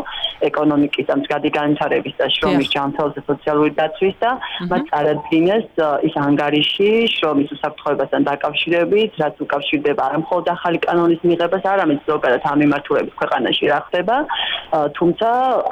ეკონომიკის და მდგრადი განვითარების და შრომის ჯანმრთელობის და სოციალური დაცვის და მათ წარადგინეს ის ანგარიში შრომის უსაფრთხოებასთან დაკავშირებით, რაც უკავშირდება არა მხოლოდ ახალი კანონის მიღებას, არამედ ზოგადად ამ მიმართულებით ქვეყანაში რა ხდება, თუმცა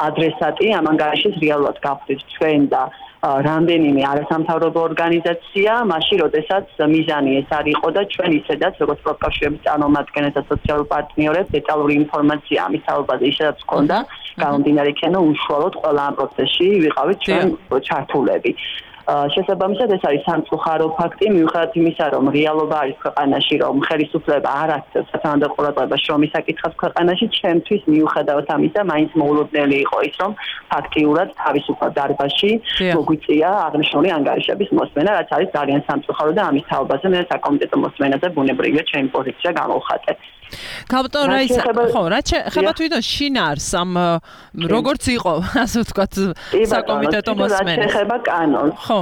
ადრესატი ამ ანგარიშის რეალურად გახდით ჩვენ და რამდენიმე არასამთავრობო ორგანიზაცია, მაშინ როდესაც მიზანი ეს არ იყო და ჩვენ ისედაც როგორც პროფკავშირების წარმომადგენლებს და სოციალურ პარტნიორებს დეტალური ინფორმაცია ამის თაობაზე ისედაც ჰქონდა, გამომდინარე იქიდან უშუალოდ ყველა ამ პროცესში ვიყავით ჩვენ ჩართულები. შესაბამისად ეს არის სამწუხარო ფაქტი, მიუხედავად იმისა, რომ რეალობა არის ქვეყანაში, რომ ხელისუფლება არ აქცევს სათანადო ყურადღებას შრომის საკითხებს ქვეყანაში, ჩემთვის მიუხედავად ამისა, მაინც მოულოდნელი იყო ის, რომ ფაქტიურად თავისუფალ დარბაზში მოგვიწია აღნიშნული ანგარიშების მოსმენა, რაც არის ძალიან სამწუხარო და ამის თაობაზე მე საკომიტეტო მოსმენაზე ბუნებრივია ჩემი პოზიცია გამოვხატე. Captain Rice, ხო, რა ხება თვითონ შინაარს ამ როგორც იყო, ასე ვთქვათ, საკომიტეტო მოსმენა. ხება კანონს. ხო.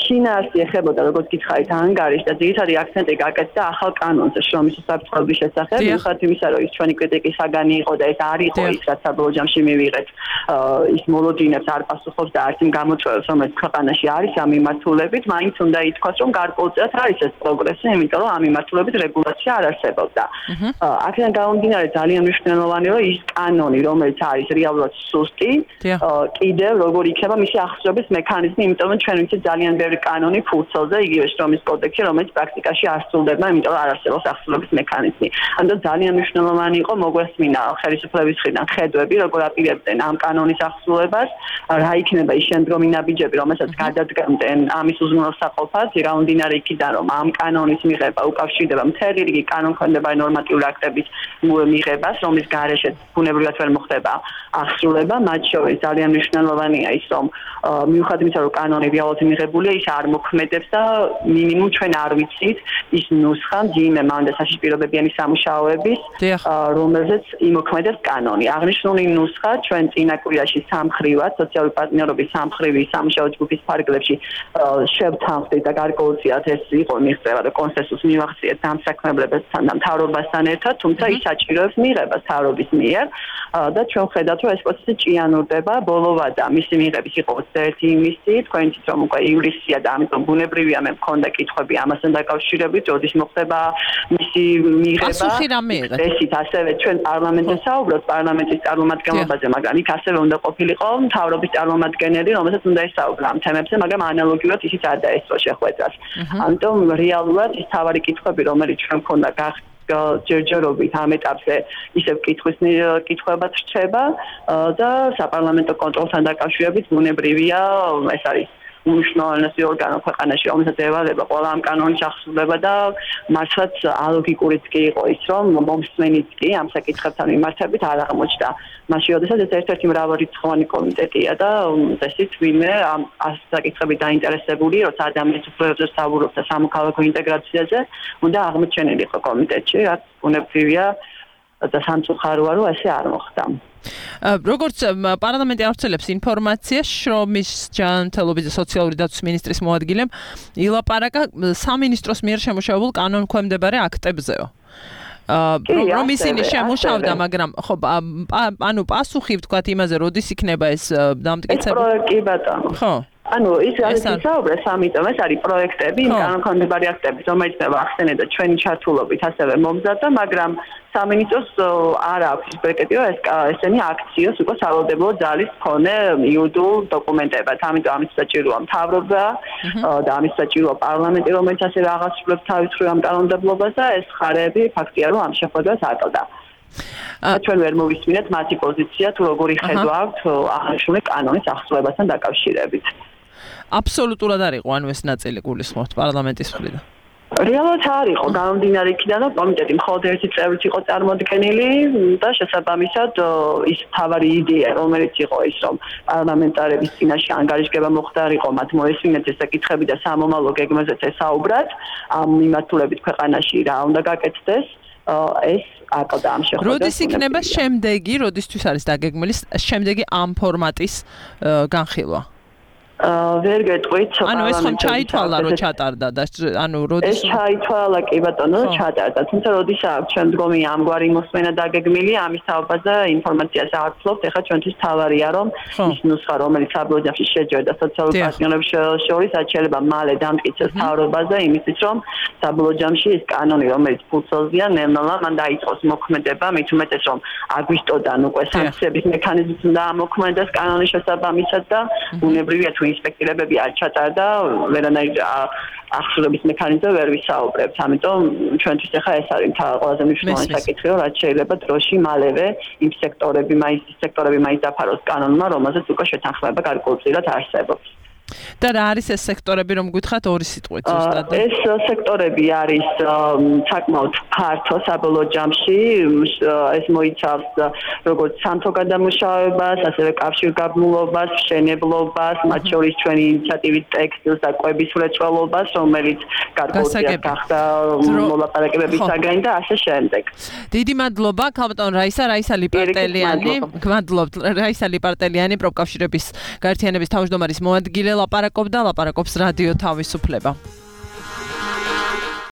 შინაარსი ეხებოდა, როგორც გითხარით, ანგარიშს და ძირითადი აქცენტი გაკეთდა ახალ კანონზე შრომის უსაფრთხოების შესახებ, მიუხედავად იმისა, რომ ის ჩვენი კრიტიკის საგანი იყო და ეს არ იყო ის, რაც საბოლოო ჯამში მივიღეთ, ის მოლოდინებს არ პასუხობს და არც იმ გამოწვევებს, რომელიც ქვეყანაში არის ამ მიმართულებით, მაინც უნდა ითქვას, რომ გარკვეულწილად არის ეს პროგრესი, იმიტომ რომ ამ მიმართულებით რეგულაცია არ არსებობდა. აქედან გამომდინარე ძალიან მნიშვნელოვანი რომ ის კანონი რომელიც არის რეალურად სუსტი კიდევ როგორ იქნება მისი აღსრულების მექანიზმი იმიტომ რომ ჩვენ ვიცით ძალიან ბევრი კანონი ფურცელზე იგივე შრომის კოდექსში რომელიც პრაქტიკაში არ სრულდება იმიტომ რომ არ არსებობს აღსრულების მექანიზმი ამიტომ ძალიან მნიშვნელოვანი იყო მოგვესმინა ხელისუფლების მხრიდან ხედვები როგორ აპირებდნენ ამ კანონის აღსრულებას რა იქნება ის შემდგომი ნაბიჯები რომელსაც გადადგამდნენ ამის უზრუნველსაყოფად გამომდინარე იქიდან რომ ამ კანონის მიღება უკავშირდება მთელი რიგი კანონქვემდებარე ნორმატიული აქტების მიღებას, რომლის გარეშეც ბუნებრივად ვერ მოხდება აღსრულება, მათ შორის ძალიან მნიშვნელოვანია ის, რომ მიუხედავად იმისა, რომ კანონი რეალურად მიღებულია, ის არ მოქმედებს და მინიმუმ ჩვენ არ ვიცით ის ნუსხა მძიმე მანდა საშიშპირებებიანი სამუშაოების, რომელზეც იმოქმედებს კანონი. აღნიშნული ნუსხა ჩვენ წინა კვირაში სამხრივად სოციალური პარტნიორობის სამხრივი სამუშაო ჯგუფის ფარგლებში შევთანხმდით და გარკვეულწილად ეს იყო მიღწევა და კონსენსუსს მივახციეთ დამსაქმებლებთან და მთავრობასთან ერთად, თუმცა ის საჭიროებს მიღებას თავრობის მიერ და ჩვენ ხედავთ, რომ ეს პროცესი ჭიანურდება, ბოლოვადა მისი მიღების იყო 21 ივნისი, თქვენ იცით, რომ უკვე ივლისია და ამიტომ ბუნებრივია მე მქონდა კითხვები ამასთან დაკავშირებით, როდის მოხდება მისი მიღება. პასუხი რამე იღეთ? ესით ასევე ჩვენ პარლამენტზე საუბრობთ, პარლამენტის წარმომადგენლობაზე, მაგრამ იქ ასევე უნდა ყოფილიყო მთავრობის წარმომადგენელი, რომელსაც უნდა ესაუბრა ამ თემებზე, მაგრამ ანალოგიურად ისიც არ დაესწრო შეხვედრას. ამიტომ რეალურად ის თავარი კითხვები, რომელიც ჩვენ მქონდა ჯერჯერობით ამ ეტაპზე ისევ კითხვებად რჩება და საპარლამენტო კონტროლთან დაკავშირებით ბუნებრივია ეს არის უმნიშვნელოვანესი ორგანო ქვეყანაში, რომელსაც ევალება ყველა ამ კანონის აღსრულება და მართლაც ალოგიკურიც კი იყო ის, რომ მომსმენიც კი ამ საკითხებთან მიმართებით არ აღმოჩნდა. მაშინ როდესაც ეს ერთ-ერთი მრავალრიცხოვანი კომიტეტია და ესეც ვინმე ამ საკითხებით დაინტერესებული, როცა ადამიანის უფლებებზე საუბრობს და სამოქალაქო ინტეგრაციაზე, უნდა აღმოჩენილიყო კომიტეტში, რაც ბუნებრივია და სამწუხაროა, რომ ესე არ მოხდა. როგორც პარლამენტი ავრცელებს ინფორმაციას, შრომის ჯანმრთელობის და სოციალური დაცვის მინისტრის მოადგილემ ილაპარაკა სამინისტროს მიერ შემუშავებულ კანონქვემდებარე აქტებზეო. რომ ისინი შემუშავდა, მაგრამ ხო, ანუ პასუხი ვთქვათ იმაზე, როდის იქნება ეს დამტკიცებული? პროექტი ბატონო. ხო. ანუ ის არის ისაუბრა სამიტომ ეს არის პროექტები, კანონქვემდებარე აქტები, რომელიც ახსენებდა ჩვენი ჩართულობით ასევე მომზადდა, მაგრამ სამინისტროს არ აქვს პროექტი, რომ ესენი აქციოს უკვე სავალდებულო ძალის მქონე იუდულ დოკუმენტებად. ამიტომ ამის საჭიროა მთავრობა და ამის საჭიროა პარლამენტი, რომელიც ასევე აღასრულებს თავის მხრივ ამ კანონმდებლობას და ეს ხარები ფაქტია, რომ ამ შეხვედრას ატყდა. ჩვენ ვერ მოვისმინეთ მათი პოზიცია თუ როგორი ხედვა აქვთ აღნიშნული კანონის აღსრულებასთან დაკავშირებით. აბსოლუტურად არ იყო ანუ ეს ნაწილი გულისხმობთ პარლამენტის მხრიდან. რეალურად არ იყო გამომდინარე იქიდან, რომ კომიტეტი მხოლოდ ერთი წევრით იყო წარმოდგენილი და შესაბამისად ის თავარი იდეა, რომელიც იყო ის, რომ პარლამენტარების წინაშე ანგარიშგება მოხდარიყო, მათ მოესმინეთ ეს საკითხები და სამომავლო გეგმაზეც ესაუბრათ, ამ მიმართულებით ქვეყანაში რა უნდა გაკეთდეს. ეს აკლდა ამ შეხვედრას. როდის იქნება შემდეგი, როდისთვის არის დაგეგმილი შემდეგი ამ ფორმატის განხილვა? ვერ გეტყვით. ანუ ეს ხომ ჩაითვალა რომ ჩატარდა და ანუ როდის ეს ჩაითვალა კი ბატონო ჩატარდა. თუმცა როდის აქვს შემდგომი ამგვარი მოსმენა დაგეგმილი, ამის თაობაზე ინფორმაციას არ ვფლობთ. ეხლა ჩვენთვის თავარია რომ ის ნუსხა რომელიც საბოლოო ჯამში შეჯერდა სოციალურ პარტნიორებს შორის აჩერება მალე დამტკიცეს მთავრობაზე იმისთვის რომ საბოლოო ჯამში ეს კანონი რომელიც ფულსელზეა ნელ-ნელა მან დაიწყოს მოქმედება მით უმეტეს რომ აგვისტოდან უკვე სანქციების მექანიზმით უნდა ამოქმედდეს კანონის შესაბამისად და უნებრივია თუ ინსპექტირებები არ ჩატარდა ვერანაირ ახსოვების მექანიზმზე ვერ ვისაუბრებთ. ამიტომ ჩვენთვის ახლა ეს არის ყველაზე მნიშვნელოვანი საკითხი, რომ რაც შეიძლება დროში მალევე იმ სექტორები მაინც დაფაროს კანონმა, რომელზეც უკვე შეთანხმება გარკვეულწილად არსებობს. და რა არის ეს სექტორები რომ გითხრათ ორი სიტყვით ზუსტად? ეს სექტორები არის საკმაოდ ფართო საბოლოო ჯამში ეს მოიცავს როგორც სამთო გადამუშავებას, ასევე კავშირგაბმულობას, მშენებლობას, მათ შორის ჩვენი ინიციატივით ტექსტილს და კვების მრეწველობას, რომელიც გარკვეულწილად გახდა მოლაპარაკებების საგანი და ასე შემდეგ. დიდი მადლობა ქალბატონ რაისა ლიპარტელიანი. გმადლობთ რაისა ლიპარტელიანი პროფკავშირების გაერთიანების თავმჯდომარის მოადგილე ლაპარაკობს რადიო თავისუფლება.